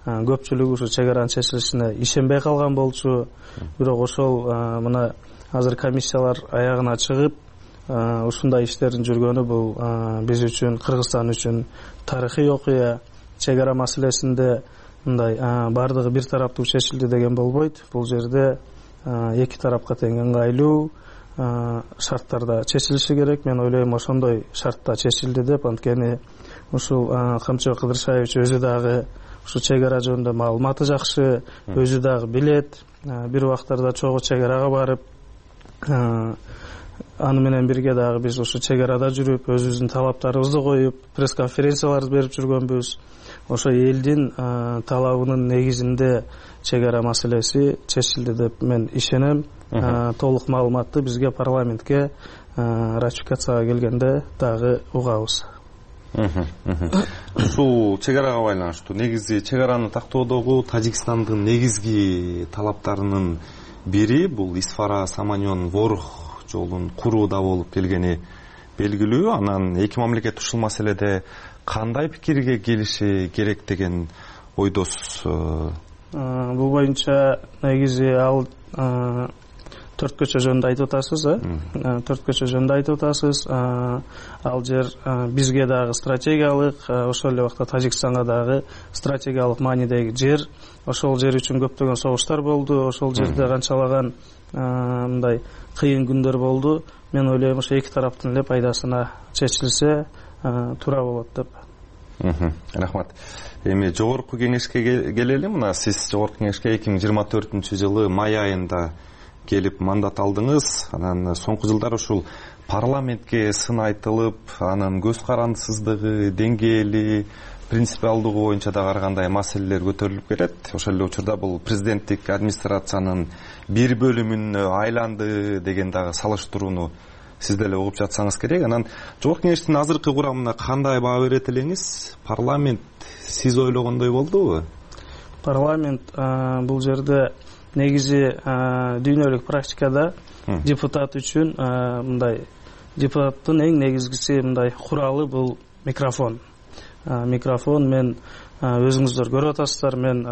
көпчүлүк ушу чек аранын чечилишине ишенбей калган болчу. Бирок ошол мына азыр комиссиялар аягына чыгып, ушундай иштердин жүргөнү бул биз үчүн, Кыргызстан үчүн тарыхый окуя. Чек ара маселесинде мындай бардыгы бир тараптуу чечилди деген болбойт. Бул жерде эки тарапка тең ыңгайлуу шарттарда чечилиши керек. Мен ойлойм ошондой шартта чечилди деп. Анткени ушул Камчыбек Кыдыршаевич өзү дагы ушу чек ара жөнүндө маалыматы жакшы, өзү дагы билет. Бир убактарда чогуу чек арага барып, аны менен бирге дагы биз ушу чек арада жүрүп, өзүбүздүн талаптарыбызды коюп, пресс-конференцияларды берип жүргөнбүз. Ошо элдин талабынын негизинде чек ара маселеси чечилди деп мен ишенем. толук маалыматты бизге парламентке ратификацияга келгенде дагы угабыз. Ушул чек арага байланыштуу негизи чек араны тактоодогу Тажикстандын негизги талаптарынын бири бул Исфара Саманьон Ворох жолун курууда болуп келгени белгилүү. Анан эки мамлекет ушул маселеде кандай пикирге келиши керек деген ойдосуз? Бул боюнча негизи ал 4 көчө жөнүндө айтып атасыз, 4 көчө жөнүндө айтып атасыз. Ал жер бизге дагы стратегиялык, ошол эле убакта Тажикстанга дагы стратегиялык маанидеги жер. Ошол жер үчүн көптөгөн согуштар болду. Ошол жерде канчалаган мындай кыйын күндөр болду. Мен ойлойм, ошо эки тараптын эле пайдасына чечилсе туура болот деп. Рахмат. Эми жогорку кеңешке келели. Мына сиз жогорку кеңешке 2024-жылы май айында келип мандат алдыңыз. Анан соңку жылдары ушул парламентке сын айтылып, анын көз карандысыздыгы, деңгээли, принципиалдыгы боюнча дагы ар кандай маселелер көтөрүлүп келет. Ошол эле учурда бул президенттик администрациянын бир бөлүмүнө айланды деген дагы салыштырууну сиз деле угуп жатсаңыз керек. Анан жогорку кеңештин азыркы курамына кандай баа берет элеңиз? Парламент сиз ойлогондой болдубу? Парламент бул жерде негизи дүйнөлүк практикада депутат үчүн мындай депутаттын эң негизгиси мындай куралы бул микрофон. Микрофон мен өзүңүздөр көрүп атасыздар, мен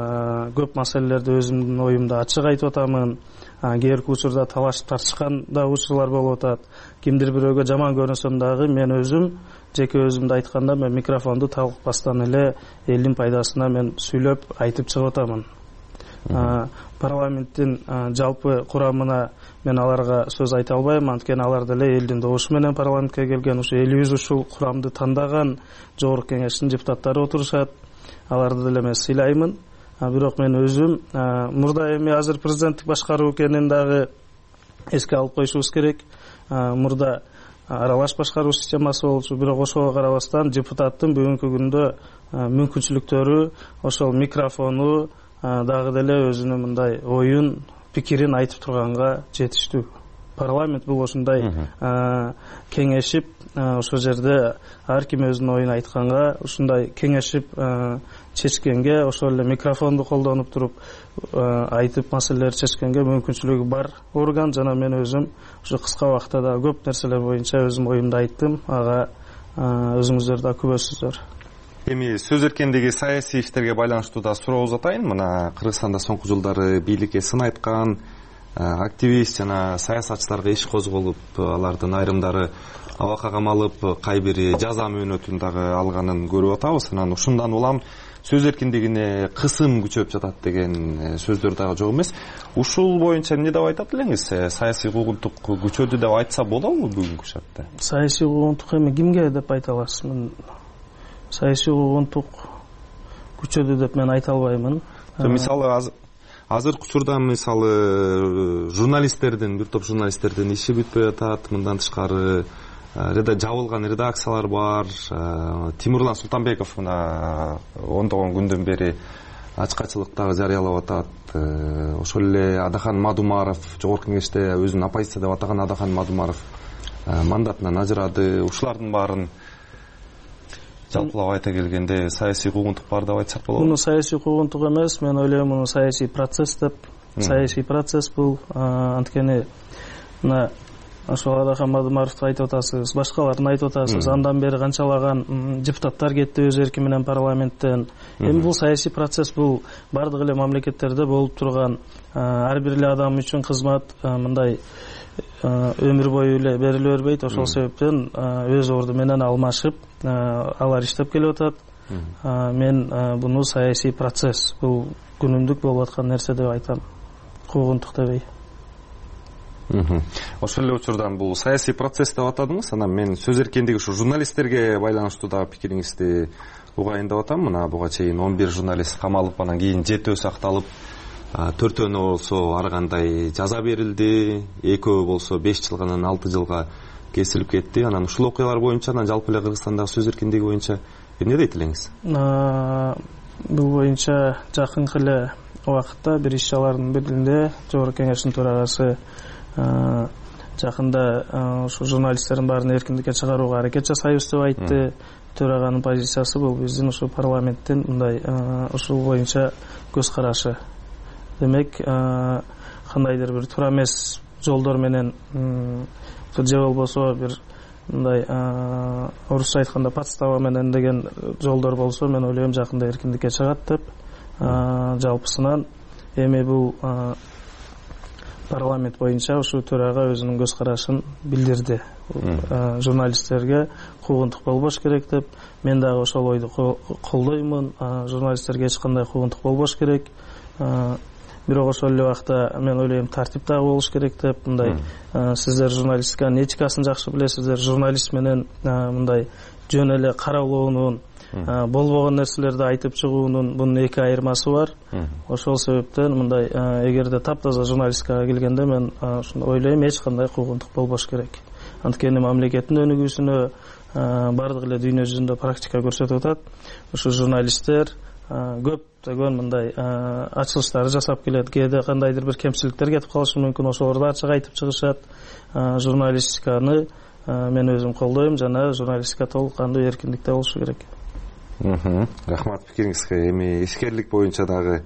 көп маселелерди өзүмдүн оюмду ачык айтып атамын. Кээ бир учурда талаш тартышкан да учурлар болуп атат. Кимдир бирөөгө жаман көрүнсөм дагы мен өзүм жеке өзүмдү айтканда мен микрофонду талкпастан эле элдин пайдасына мен сүйлөп айтып чыгып атамын. Парламенттин жалпы курамына мен аларга сөз айта албайм, анткени алар деле элдин добушу менен парламентке келген, ушу элибиз ушул курамды тандаган жогорку кеңештин депутаттары отурушат. Аларды деле мен сыйлаймын. Бирок мен өзүм мурда эми азыр президенттик башкаруу экенин дагы эске алып коюшубуз керек. Мурда аралаш башкаруу системасы болчу, бирок ошого карабастан депутаттын бүгүнкү күндө мүмкүнчүлүктөрү ошол микрофону дагы деле өзүнүн мындай оюн, пикирин айтып турганга жетиштүү. Парламент бул ошондой кеңешип, ошол жерде ар ким өзүнүн оюн айтканга, ушундай кеңешип чечкенге, ошол эле микрофонду колдонуп туруп айтып маселелерди чечкенге мүмкүнчүлүгү бар орган. Жана мен өзүм ушу кыска убакытта да көп нерселер боюнча өзүм оюмду айттым. Ага өзүңүздөр да күбөсүздөр. Эми сөз эркиндиги саясий иштерге байланыштуу да суроо узатайын. Мына Кыргызстанда соңку жылдары бийликке сын айткан активист жана саясатчыларга иш козголуп, алардын айрымдары абакка камалып, кайбири жаза мөөнөтүн дагы алганын көрүп атабыз. Анан ушундан улам сөз эркиндигине кысым күчөп жатат деген сөздөр дагы жок эмес. Ушул боюнча эмне деп айтат элеңиз? Саясий куугунтук күчөдү деп айтса болобу бүгүнкү шартта? Саясий куугунтук эми кимге деп айта аласыз? Мен саясий куугунтук күчөдү деп мен айта албаймын. Мисалы азыркы учурда мисалы журналисттердин, бир топ журналисттердин иши бүтпөй атат. Мындан тышкары жабылган редакциялар бар. Тимурлан Султанбеков мына ондогон күндөн бери ачкачылыктагы жарыялап атат. Ошол эле Адахан Мадумаров, жогорку кеңеште өзүн оппозиция деп атаган Адахан Мадумаров мандатынан ажырады. Ушулардын баарын жалпылап айта келгенде саясий куугунтук бар деп айтсак болобу? Муну саясий куугунтук эмес, мен ойлойм муну саясий процесс деп. Саясий процесс бул анткени мына ошол Адахан Мадумаровду айтып атасыз, башкаларын айтып атасыз. Андан бери канчалаган депутаттар кетти өз эрки менен парламенттен. Эми бул саясий процесс, бул бардык эле мамлекеттерде болуп турган ар бир эле адам үчүн кызмат мындай өмүр бою эле бериле бербейт. Ошол себептен өз орду менен алмашып алар иштеп келип атат. Мен буну саясий процесс, бул күнүмдүк болуп аткан нерсе деп айтам, куугунтук дебей. Ошол эле учурдан бул саясий процесс деп атадыңыз. Анан мен сөз эркиндиги ушу журналисттерге байланыштуу дагы пикириңизди угайын деп атам. Мына буга чейин 11 журналист камалып, анан кийин 7 сакталып, 4 болсо ар кандай жаза берилди, 2 болсо 5 жылга, анан 6 жылга кесилип кетти. Анан ушул окуялар боюнча, анан жалпы эле Кыргызстандагы сөз эркиндиги боюнча эмне дейт элеңиз? Бул боюнча жакынкы эле убакытта бир иш-чаралардын биринде жогорку кеңештин төрагасы жакында ушу журналисттердин баарын эркиндикке чыгарууга аракет жасайбыз деп айтты. Төраганын позициясы бул биздин ушу парламенттин мындай ушул боюнча көз карашы. Демек, кандайдыр бир туура эмес жолдор менен же болбосо бир мындай орусча айтканда подстава менен деген жолдор болсо, мен ойлойм жакында эркиндикке чыгат деп. Жалпысынан эми бул парламент боюнча ушу төрага өзүнүн көз карашын билдирди. Журналисттерге куугунтук болбош керек деп. Мен дагы ошол ойду колдоймун. Журналисттерге эч кандай куугунтук болбош керек. Бирок ошол эле убакта мен ойлойм тартип дагы болуш керек деп. Мындай сиздер журналистиканын этикасын жакшы билесиздер. Журналист менен мындай жөн эле каралоонун, болбогон нерселерди айтып чыгуунун бунун эки айырмасы бар. Ошол себептен мындай эгерде таптаза журналистикага келгенде мен ойлойм эч кандай куугунтук болбош керек. Анткени мамлекеттин өнүгүүсүнө бардык эле дүйнө жүзүндө практика көрсөтүп атат. Ушу журналисттер көптөгөн мындай ачылыштарды жасап келет. Кээде кандайдыр бир кемчиликтер кетип калышы мүмкүн, ошолорду ачык айтып чыгышат. Журналистиканы мен өзүм колдойм жана журналистика толук кандуу эркиндикте болушу керек. Рахмат пикириңизге. Эми ишкерлик боюнча дагы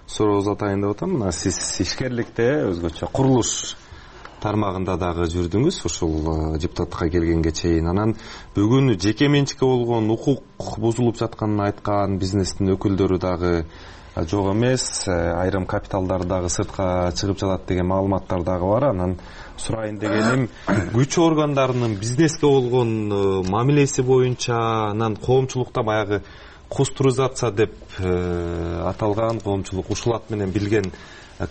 суроо узатайын деп атам. Мына сиз ишкерликте өзгөчө курулуш тармагында дагы жүрдүңүз ушул депутатка келгенге чейин. Анан бүгүн жеке менчикке болгон укук бузулуп жатканын айткан бизнестин өкүлдөрү дагы жок эмес, айрым капиталдар дагы сыртка чыгып жатат деген маалыматтар дагы бар. Анан сурайын дегеним, күч органдарынын бизнеске болгон мамилеси боюнча, анан коомчулукта баягы кустуризация деп аталган, коомчулук ушул менен билген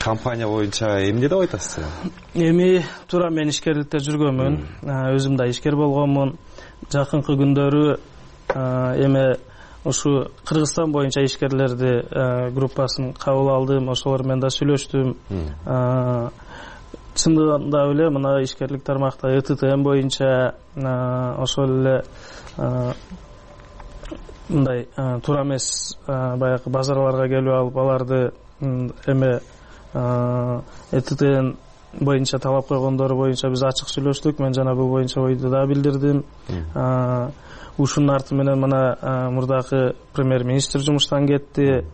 компания боюнча эмне деп айтасыз? Эми туура мен ишкерликте жүргөнмүн. Өзүм да ишкер болгонмун. Жакынкы күндөрү эми ушу Кыргызстан боюнча ишкерлерди группасын кабыл алдым. Ошолор менен да сүйлөштүм. Чындыгында эле мына ишкерлик тармакта ЭТТМ боюнча ошол эле мындай туура эмес баягы базарларга келип алып аларды эме ЭТТН боюнча талап койгондору боюнча биз ачык сүйлөштүк. Мен жана бул боюнча ойду да билдирдим. Ушунун арты менен мына мурдакы премьер-министр жумуштан кетти.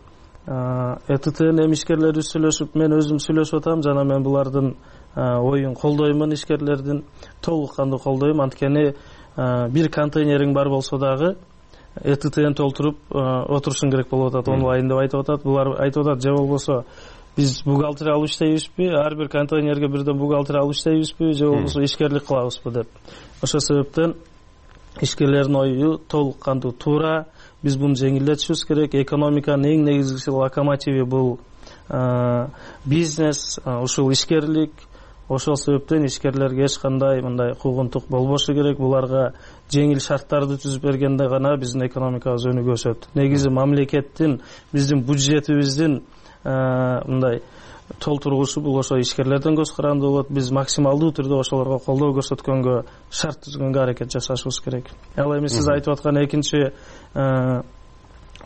ЭТТН эмишкерлери сүйлөшүп, мен өзүм сүйлөшүп атам жана мен булардын оюн колдоймун, ишкерлердин толук кандуу колдойм. Анткени бир контейнериң бар болсо дагы ЭТТН толтуруп отурушуң керек болуп атат, онлайн деп айтып атат. Булар айтып атат, же болбосо биз бухгалтер алып иштейбизби, ар бир контейнерге бирден бухгалтер алып иштейбизби, же болбосо ишкерлик кылабызбы деп. Ошол себептен ишкерлердин ою толук кандуу туура. Биз буну жеңилдетишибиз керек. Экономиканын эң негизги локомотиви бул бизнес, ушул ишкерлик. Ошол себептен ишкерлерге эч кандай мындай куугунтук болбошу керек. Буларга жеңил шарттарды түзүп бергенде гана биздин экономикабыз өнүгө өсөт. Негизи мамлекеттин, биздин бюджетибиздин мындай толтургучу бул ошо ишкерлерден көз каранды болот. Биз максималдуу түрдө ошолорго колдоо көрсөткөнгө, шарт түзгөнгө аракет жасашыбыз керек. Ал эми сиз айтып аткан экинчи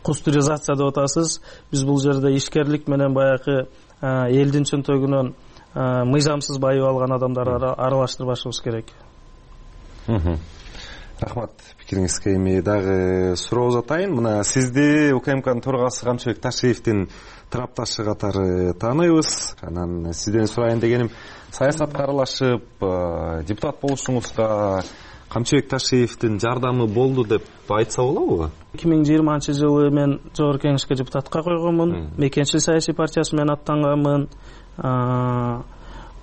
кустуризация деп атасыз. Биз бул жерде ишкерлик менен баягы элдин чөнтөгүнөн мыйзамсыз байып алган адамдарды аралаштырбашыбыз керек. Рахмат пикириңизге. Эми дагы суроо узатайын. Мына сизди УКМКнын төрагасы Камчыбек Ташиевдин тарапташы катары тааныйбыз. Анан сизден сурайын дегеним, саясатка аралашып депутат болушуңузга Камчыбек Ташиевдин жардамы болду деп айтса болобу? 2020-жылы мен жогорку кеңешке депутатка койгонмун. Мекенчил саясий партиясы менен аттанганмын.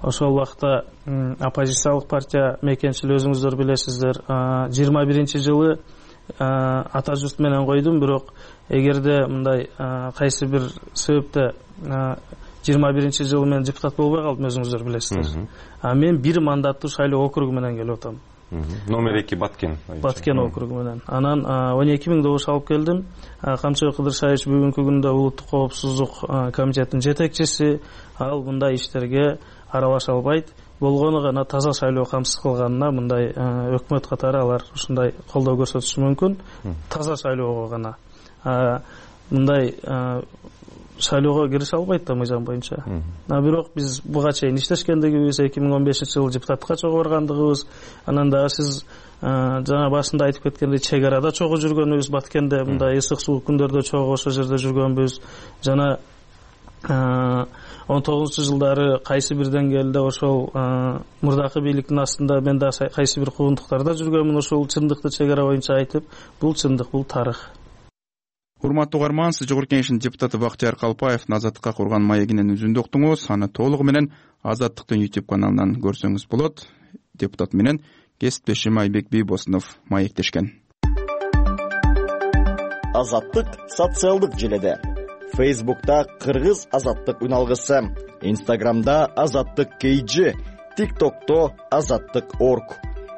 Ошол убакта оппозициялык партия Мекенчил өзүңүздөр билесиздер. 21-жылы ата журт менен койдум, бирок эгерде мындай кайсы бир себепте 21-жылы мен депутат болбой калдым, өзүңүздөр билесиздер. Мен бир мандаттуу шайлоо округу менен келип атам. Номер 2 Баткен округу менен. Анан 12.000 добуш алып келдим. Камчыбек Кыдыршаевич бүгүнкү күндө улуттук коопсуздук комитетинин жетекчиси. Ал мындай иштерге аралаша албайт. Болгону гана таза шайлоо камсыз кылганына мындай өкмөт катары алар ушундай колдоо көрсөтүшү мүмкүн. Таза шайлоого гана. Мындай шайлоого кирише албайт да мыйзам боюнча. Бирок биз буга чейин иштешкендигибиз, 2015-жылы депутатка чогуу баргандыгыбыз, анан дагы сиз жана башында айтып кеткендей чек арада чогуу жүргөнүбүз, Баткенде мындай ысык суук күндөрдө чогуу ошол жерде жүргөнбүз. Жана 19-жылдары кайсы бир деңгээлде ошол мурдакы бийликтин астында мен да кайсы бир куугунтуктарда жүргөнмүн. Ошол чындыкты чек ара боюнча айтып, бул чындык, бул тарых. Урматтуу угарман, Сыз Жогорку Кеңештин депутаты Бактияр Калпаевдин Азаттыкка курган маегинен үзүндү уктуңуз. Аны толугу менен Азаттыктын YouTube каналынан көрсөңүз болот. Депутат менен кесиптешим Айбек Бийбосунов маектешкен. Азаттык социалдык желеде. Facebook'ta Кыргыз Азаттык үналгысы, Instagram'da Азаттык KG, TikTok'ta Азаттык.org,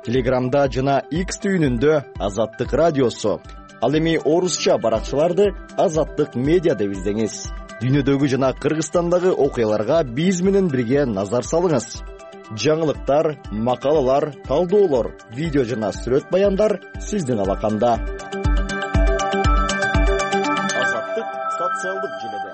Telegram'da жана X түйүнүндө Азаттык радиосу. Ал эми орусча баракчаларды Азаттык медиа деп издеңиз. Дүйнөдөгү жана Кыргызстандагы окуяларга биз менен бирге назар салыңыз. Жаңылыктар, макалалар, талдоолор, видео жана сүрөт баяндар сиздин алаканда. Азаттык социалдык желеде.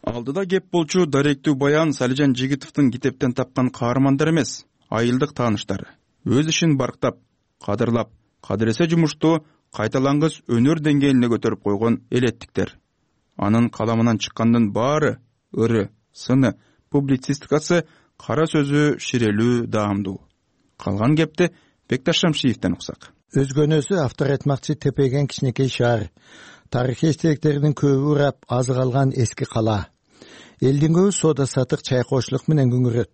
Алдыда кеп болчу даректүү баян Салижан Жигитовдун китептен тапкан каармандар эмес, айылдык тааныштары. Өз ишин барктап, кадырлап, кадыресе жумушту кайталангыс өнөр деңгээлине көтөрүп койгон элеттиктер. Анын каламынан чыккандын баары ыры, сыны, публицистикасы, кара сөзү ширелүү, даамдуу. Калган кепти Бекташ Шамшиевден уксак. Өзгөнөсү автор айтмакчы тепеген кичинекей шаар. Тарыхый эстеликтердин көбү урап, азы калган эски кала. Элдин көбү соода сатык, чай кочлук менен күңүрөт.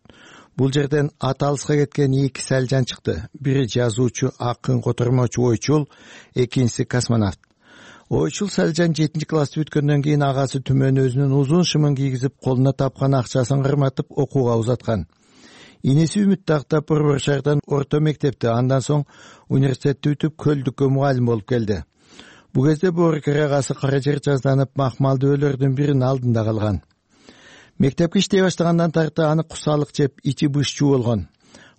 Бул жерден аты алыска кеткен эки Салжан чыкты. Бири жазуучу, акын, котормочу ойчул, экинчиси космонавт. Ойчул Салжан 7 класс бүткөндөн кийин агасы түмөнү өзүнүн узун шымын кийгизип, колуна тапкан акчасын кырматып окууга узаткан. Инеси Үмүт тактап Борбор шаардан орто мектепти, андан соң университетти бүтүп Көлдүккө мугалим болуп келди. Бул кезде Боорукер агасы кара жер жазданып, махмалдуулөрдүн биринин алдында калган. Мектепке иштей баштагандан тарта аны кусалык жеп, ичи бышчуу болгон.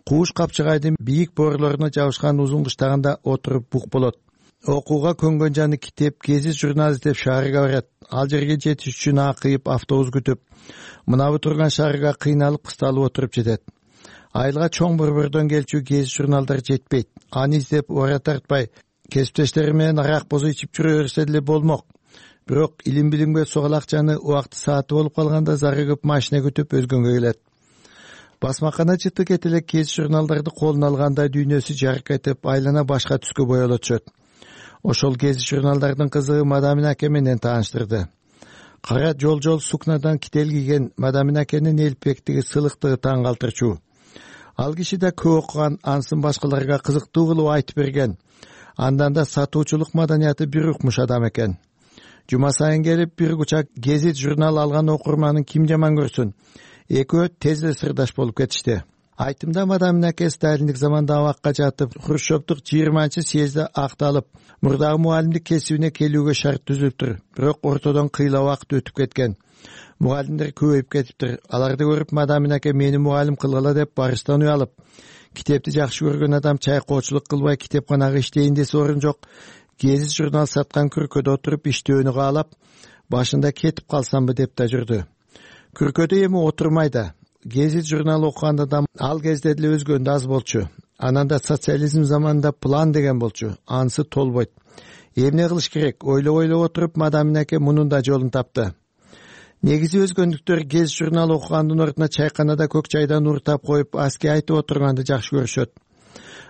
Кууш капчыгайдын бийик боорлоруна жабышкан узун кыштагында отуруп бук болот. Окууга көнгөн жаны китеп, гезит, журнал издеп шаарга барат. Ал жерге жетиш үчүн акыйып, автобус күтүп, мынабы турган шаарга кыйналып, кысталып отуруп жетет. Айылга чоң борбордон келчү гезит, журналдар жетпейт. Аны издеп ора тартпай, кесиптештери менен арак бозу ичип жүрө берсе деле болмок. Бирок илим билимге согал акчаны убакты сааты болуп калганда зары көп машина күтүп өзгөнгө келет. Басмакана чыты кетеле гезит, журналдарды колуна алганда дүйнөсү жарык этип, айлана башка түскө боело түшөт. Ошол гезит, журналдардын кызыгы Мадамин аке менен тааныштырды. Кара жол сукнадан кител кийген Мадамин акенин элпектиги, сылыктыгы таң калтырчу. Ал киши да көп окуган, ансын башкаларга кызыктуу кылып айтып берген. Андан да сатуучулук маданияты бир укмуш адам экен. Жума сайын келип бир кучак гезит, журнал алган окурманын ким жаман көрсүн. Экөө тез эле сырдаш болуп кетишти. Айтымда Мадамин аке сталиндик заманда абакка жатып, Хрущевдук 20-съезде акталып, мурдагы мугалимдик кесибине келүүгө шарт түзүлүптүр. Бирок ортодон кыйла убакыт өтүп кеткен. Мугалимдер көбөйүп кетиптир. Аларды көрүп Мадамин аке мени мугалим кылгыла деп барыстан уялып, китепти жакшы көргөн адам чай коочулук кылбай китепканага иштейин десе орун жок. Гезит, журнал саткан күркөдө отуруп иштөөнү каалап, башында кетип калсамбы деп да жүрдү. Күркөдө эми отурмай да. Гезит, журнал окуганда да ал кезде деле өзгөндө аз болчу. Анан да социализм заманында план деген болчу. Анысы толбойт. Эмне кылыш керек? Ойлоп отуруп Мадамин аке мунун да жолун тапты. Негизи өзгөндүктөр гезит, журнал окугандын ордуна чайканада көк чайдан ууртап коюп, аски айтып отурганды жакшы көрүшөт.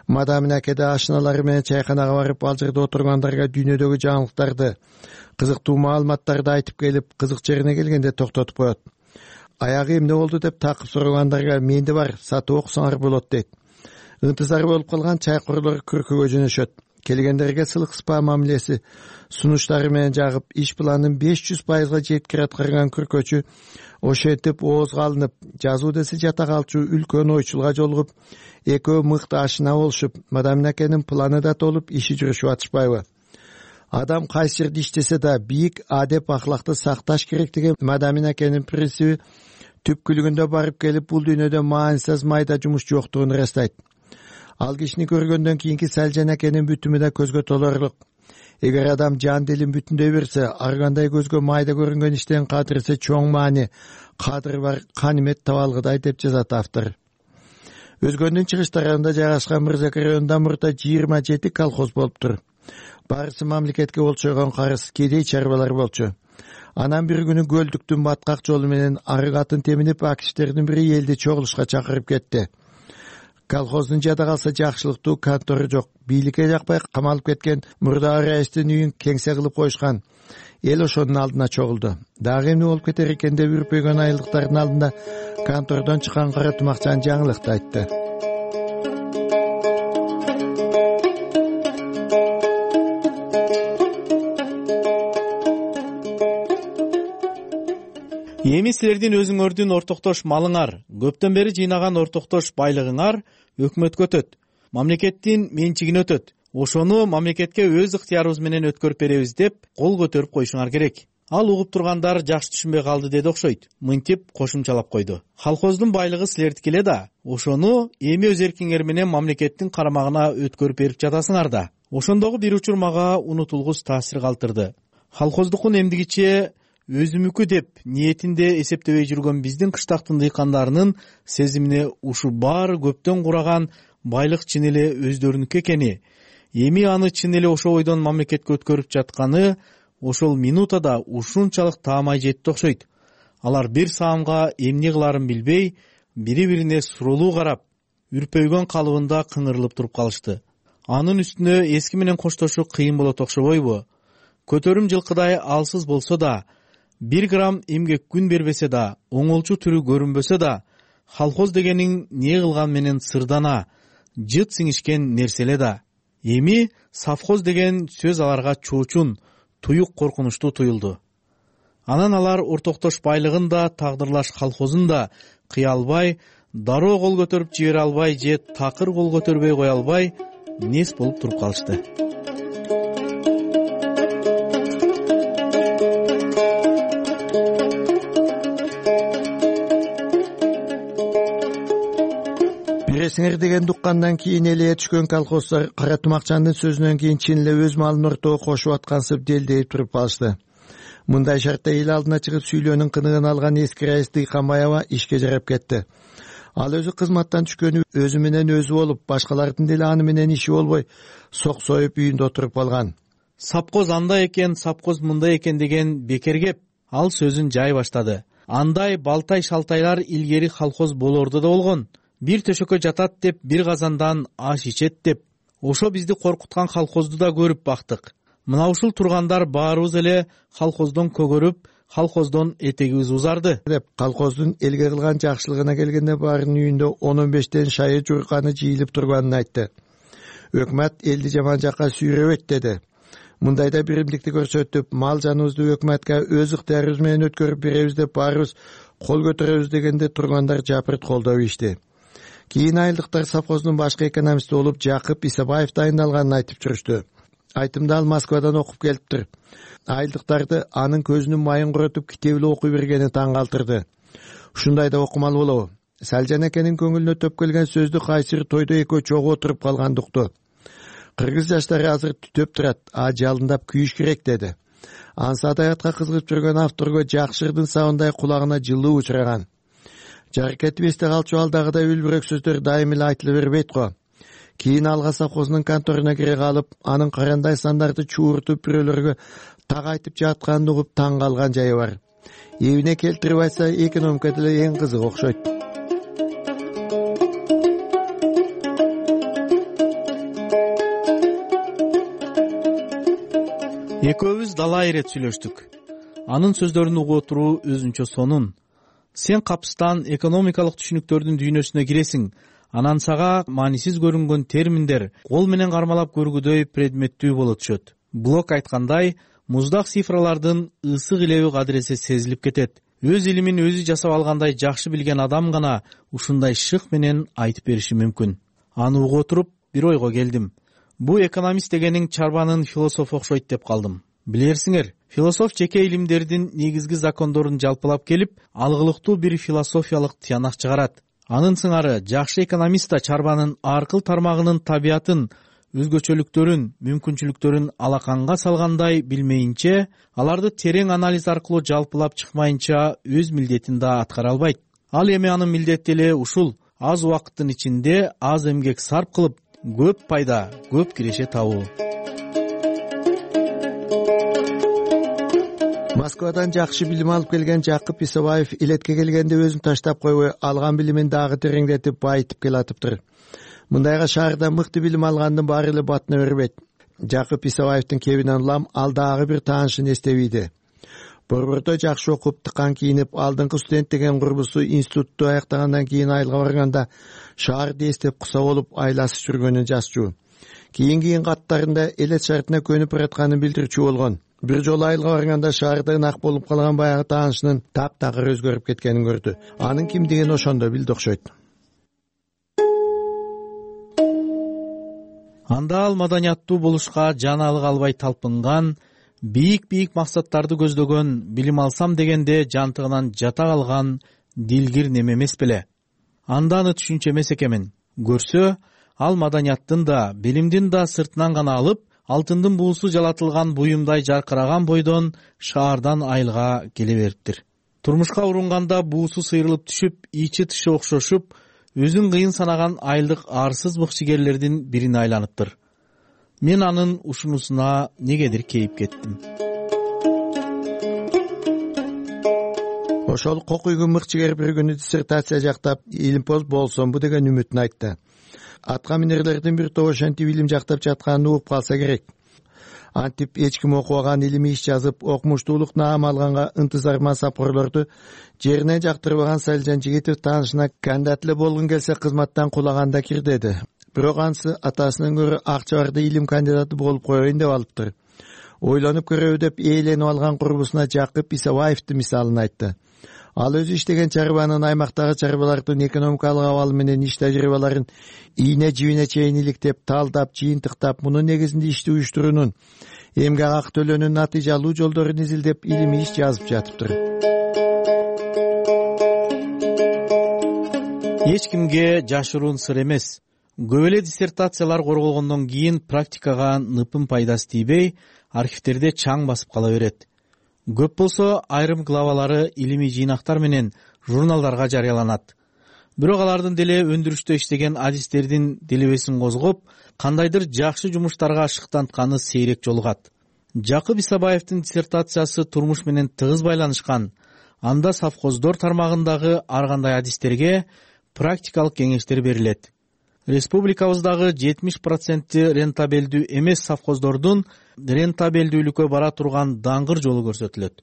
Мадамин аке да ашыналары менен чайканага барып, ал жерде отургандарга дүйнөдөгү жаңылыктарды, кызыктуу маалыматтарды айтып келип, кызык жерине келгенде токтотуп коет. Аягы эмне болду деп такып сурагандарга менде бар, сатып окусаңар болот дейт. Ынтызар болуп калган чайкорлор күркөгө жөнөшөт. Келгендерге сылык спа мамилеси сунуштары менен жагып, иш планын 500% жеткире аткарган күркөчү ошентип оозго алынып, жазуу десе жата калчу үлкөн ойчулга жолугуп, экөө мыкты ашына болушуп, Мадамин акенин планы да толуп, иши жүрүшүп атышпайбы? Адам кайсы жерде иштесе да бийик адеп ахлакты сакташ керек деген Мадамин акенин принциби түпкүлүгүндө барып келип, бул дүйнөдө маанисиз майда жумуш жоктугун ырастайт. Ал кишини көргөндөн кийинки Салжан акенин бүтүмү да көзгө толорлук. Эгер адам жан дилин бүтүндөй берсе, ар кандай көзгө майда көрүнгөн иштен кадырсе чоң маани, кадыры бар канимет таба алгыдай деп жазат автор. Өзгөндүн чыгыш тарабында жайгашкан Мырзакы районунда мурда 27 колхоз болуптур. Барысы мамлекетке болчойгон карыз, кедей чарбалар болчу. Анан бир күнү көлдүктүн баткак жолу менен арык атын теминип, акиштердин бири элди чогулушка чакырып кетти. Колхоздун жада калса жакшылыктуу контору жок. Бийликке жакпай камалып кеткен мурдагы райыстын үйүн кеңсе кылып коюшкан. Эл ошонун алдына чогулду. Дагы эмне болуп кетер экен деп үрпөйгөн айылдыктардын алдында контордон чыккан кара тумакчан жаңылыкты айтты. Эми силердин өзүңөрдүн ортоктош малыңар, көптөн бери жыйнаган ортоктош байлыгыңар өкмөткө өтөт, мамлекеттин менчигине өтөт. Ошону мамлекетке өз ыктыярыбыз менен өткөрүп беребиз деп кол көтөрүп коюшуңар керек. Ал угуп тургандар жакшы түшүнбөй калды деди окшойт. Мынтип кошумчалап койду. Колхоздун байлыгы силердики эле да, ошону эми өз эркиңер менен мамлекеттин карамагына өткөрүп берип жатасыңар да. Ошондогу бир учур мага унутулгус таасир калтырды. Колхоздукун эмдигиче өзүмүкү деп ниетинде эсептебей жүргөн биздин кыштактын дыйкандарынын сезимине ушу баары көптөн кураган байлык чын эле өздөрүнүкү экени, эми аны чын эле ошол бойдон мамлекетке өткөрүп жатканы ошол минутада ушунчалык таамай жетти окшойт. Алар бир саамга эмне кыларын билбей, бири-бирине суроолуу карап, үрпөйгөн калыбында кыңырылып туруп калышты. Анын үстүнө эски менен коштошуу кыйын болот окшобойбу? Көтөрүм жылкыдай алсыз болсо да, 1 грамм эмгек күн бербесе да, оңолчу түрү көрүнбөсө да, колхоз дегениң не кылган менен сырдана, жыт сиңишкен нерселе да. Эми совхоз деген сөз аларга чоочун, туюк коркунучтуу туюлду. Анан алар ортоктош байлыгын да, тагдырлаш колхозун да кыя албай, дароо кол көтөрүп жибере албай же такыр кол көтөрбөй кое албай нес болуп туруп калышты. Бересиңер деген дуккандан кийин эле түшкөн колхоздор кара тумакчандын сөзүнөн кийин чын эле өз малын ортого кошуп аткансып делдейип туруп калышты. Мындай шартта эл алдына чыгып сүйлөөнүн кыныгын алган эски райыс Дыйканбаева ишке жарап кетти. Ал өзү кызматтан түшкөнү өзү менен өзү болуп, башкалардын деле аны менен иши болбой, соксоюп үйүндө отуруп калган. Сапкоз андай экен, сапкоз мындай экен деген бекер кеп, ал сөзүн жай баштады. Андай балтай шалтайлар илгери колхоз болорду да болгон. Бир төшөккө жатат деп, бир казандан аш ичет деп. Ошо бизди коркуткан колхозду да көрүп бактык. Мына ушул тургандар баарыбыз эле колхоздон көгөрүп, колхоздон этегибиз узарды деп колхоздун элге кылган жакшылыгына келгенде баарынын үйүндө 10-15тен шайы журканы жыйылып турганын айтты. Өкмөт элди жаман жакка сүйрөбөйт деди. Мындайда биримдикти көрсөтүп, мал жаныбызды өкмөткө өз ыктыярыбыз менен өткөрүп беребиз деп баарыбыз кол көтөрөбүз дегенде тургандар жапырт колдоп ишти. Кийин айылдыктар совхоздун башкы экономисти болуп Жакып Исабаев дайындалганын айтып жүрүштү. Айтымды ал Москвадан окуп келиптир. Айылдыктарды анын көзүнүн майын куротуп китебиле окуй бергени таң калтырды. Ушундай да окумал болобу? Салжан экенин көңүлүнө төп келген сөздү кайсыр тойдо экөө чогуу отуруп калгандыкту. Кыргыз жаштары азыр түтөп турат, жалындап күйүш керек деди. Ансы адаятка кызыгып жүргөн авторго жакшырдын сабындай кулагына жылуу учураган. Жаркетип эсте калчу алдагыдай үлбүрөк сөздөр дайым эле айтыла бербейт го. Кийин алга совхоздун конторуна кире калып, анын карандай сандарды чууртуп бирөөлөргө так айтып жатканын угуп таң калган жайы бар. Эбине келтирип айтса, экономика деле эң кызык окшойт. Экөөбүз дала ирет сүйлөштүк. Анын сөздөрүн угуп отуруу өзүнчө сонун. Сен капыстан экономикалык түшүнүктөрдүн дүйнөсүнө киресиң. Анан сага маанисиз көрүнгөн терминдер кол менен кармалап көргүдөй предметтүү боло түшөт. Блок айткандай, муздак цифралардын ысык илеби кадыресе сезилип кетет. Өз илимин өзү жасап алгандай жакшы билген адам гана ушундай шык менен айтып бериши мүмкүн. Аны угуп отуруп бир ойго келдим. Бу экономист дегениң чарбанын философу окшойт деп калдым. Билерсиңер, философ жеке илимдердин негизги закондорун жалпылап келип, алгылыктуу бир философиялык тыянак чыгарат. Анын сыңары жакшы экономист да чарбанын аркыл тармагынын табиятын, өзгөчөлүктөрүн, мүмкүнчүлүктөрүн алаканга салгандай билмейинче, аларды терең анализ аркылуу жалпылап чыкмайынча өз милдетин да аткара албайт. Ал эми анын милдети эле ушул: аз убакыттын ичинде аз эмгек сарп кылып, көп пайда, көп киреше табуу. Москвадан жакшы билим алып келген Жакып Исабаев илетке келгенде өзүн таштап койбой, алган билимин дагы тереңдетип, байытып келатыптыр. Мындайга шаарда мыкты билим алгандын баары эле батына бербейт. Жакып Исабаевдин кебинен улам ал дагы бир таанышын эстебейди. Борбордо жакшы окуп, тыкан кийинип, алдыңкы студент деген курбусу институтту аяктагандан кийин айылга барганда шаарды эстеп куса болуп айласып жүргөнүн жазчу. Кийинки каттарында элет шартына көнүп баратканын билдирчү болгон. Бир жолу айылга барганда шаарда ынак болуп калган баягы таанышынын таптакыр өзгөрүп кеткенин көрдү. Анын кимдигин ошондо билди окшойт. Анда ал маданияттуу болушка жаналык албай талпынган, бийик максаттарды көздөгөн, билим алсам дегенде жантыгынан жата калган дилгир неме эмес беле? Анда аны түшүнчү эмес экенмин. Көрсө, ал маданияттын да, билимдин да сыртынан гана алып, алтындын буусу жалатылган буюмдай жаркыраган бойдон шаардан айылга келе бериптир. Турмушка урунганда буусу сыйрылып түшүп, ичи тышы окшошуп, өзүн кыйын санаган айылдык арсыз мыкчыгерлердин бирине айланыптыр. Мен анын ушунусуна негедир кейип кеттим. Ошол кокуйгун мыкчыгер бир күнү диссертация жактап, илимпоз болсомбу деген үмүтүн айтты. Атка минерлердин бир тобу ошентип илим жактап жатканын угуп калса керек. Антип эч ким окубаган илимий иш жазып, окумуштуулук наам алганга ынтызарман сапкорлорду жеринен жактырбаган Салжан Жигитов таанышына кандидат эле болгун келсе кызматтан кулаганда кир деди. Бирок анысы атасынан көрө акча барды илим кандидаты болуп коеюн деп алыптыр. Ойлонуп көрөбү деп ээленип алган курбусуна Жакып Исабаевдин мисалын айтты. Ал өзү иштеген чарбанын аймактагы чарбалардын экономикалык абалы менен иш тажрыйбаларын ийне жибине чейин иликтеп, талдап, жыйынтыктап, мунун негизинде ишти уюштуруунун, эмгек акы төлөөнүн натыйжалуу жолдорун изилдеп, илимий иш жазып жатыптыр. Эч кимге жашыруун сыр эмес. Көп эле диссертациялар корголгондон кийин практикага ныпын пайдасы тийбей, архивтерде чаң басып кала берет. Көп болсо айрым главалары илимий жыйнактар менен журналдарга жарыяланат. Бирок алардын деле өндүрүштө иштеген адистердин делебесин козгоп, кандайдыр жакшы жумуштарга шыктантканы сейрек жолугат. Жакып Исабаевдин диссертациясы турмуш менен тыгыз байланышкан. Анда совхоздор тармагындагы ар кандай адистерге практикалык кеңештер берилет. Республикабыздагы 70% рентабелдүү эмес совхоздордун рентабелдүүлүккө бара турган даңгыр жолу көрсөтүлөт.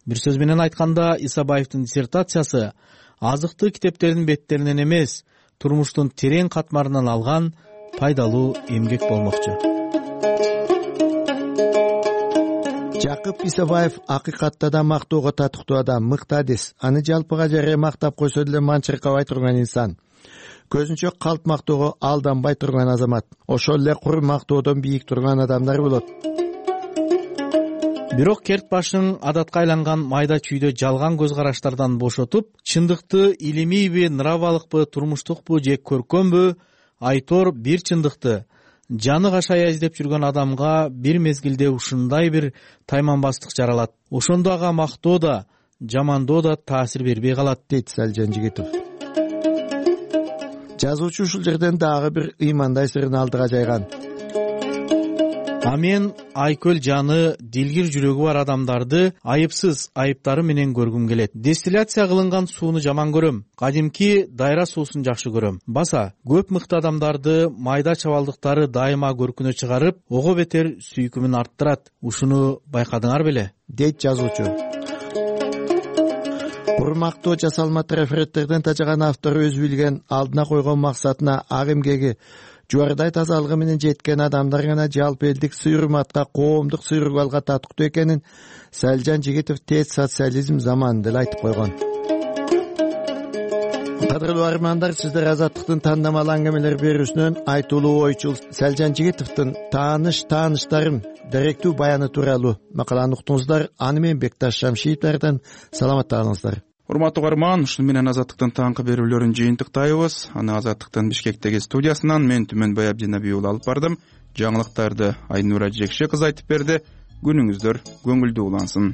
Бир сөз менен айтканда, Исабаевдин диссертациясы азыктык китептердин беттеринен эмес, турмуштун терең катмарынан алган пайдалуу эмгек болмокчу. Жакып Исабаев акыйкатта да мактоого татыктуу адам, мыкты адис. Аны жалпыга жарыя мактап койсо деле манчыркабай турган инсан. Көзүнчө калп мактоого алданбай турган азамат. Ошол эле кур мактоодон бийик турган адамдар болот. Бирок керт башың адатка айланган майда чүйдө жалган көз караштардан бошотуп, чындыкты илимийби, нравалыкпы, турмуштукпу же көркөмбү айтор бир чындыкты жаны кашая издеп жүргөн адамга бир мезгилде ушундай бир тайманбастык жаралат. Ошондо ага мактоо да, жамандоо да таасир бербей калат, дейт Салжан Жигитов. Жазуучу ушул жерден дагы бир ыймандай сырын алдыга жайган. А мен айкөл жаны, дилгир жүрөгү бар адамдарды айыпсыз айыптары менен көргүм келет. Дистилляция кылынган сууну жаман көрөм. Кадимки дайра суусун жакшы көрөм. Баса, көп мыкты адамдарды майда чабалдыктары дайыма көркүнө чыгарып, ого бетер сүйкүмүн арттырат. Ушуну байкадыңар беле? Дейт жазуучу. Курмактоо жасалма трафареттерден тажаган автор өзү билген алдына койгон максатына ак эмгеги жуардай тазалыгы менен жеткен адамдар гана жалпы элдик сый-урматка, коомдук сый-ургалга татыктуу экенин Салжан Жигитов тез социализм заманында эле айтып койгон. Кадырлуу армандар, сиздер Азаттыктын тандамал аңгемелер берүүсүнөн айтуулуу ойчул Салжан Жигитовдун тааныштарым даректүү баяны тууралуу макаланы уктуңуздар. Аны мен Бекташ Шамшиевдерден саламатта калыңыздар. Урматтуу угарман, ушуну менен Азаттыктын таңкы берүүлөрүн жыйынтыктайбыз. Аны Азаттыктын Бишкектеги студиясынан мен Түмөнбай Абдинабий уулу алып бардым. жаңылыктарды Айнура Жекше кызы айтып берди. Күнүңүздөр көңүлдүү улансын.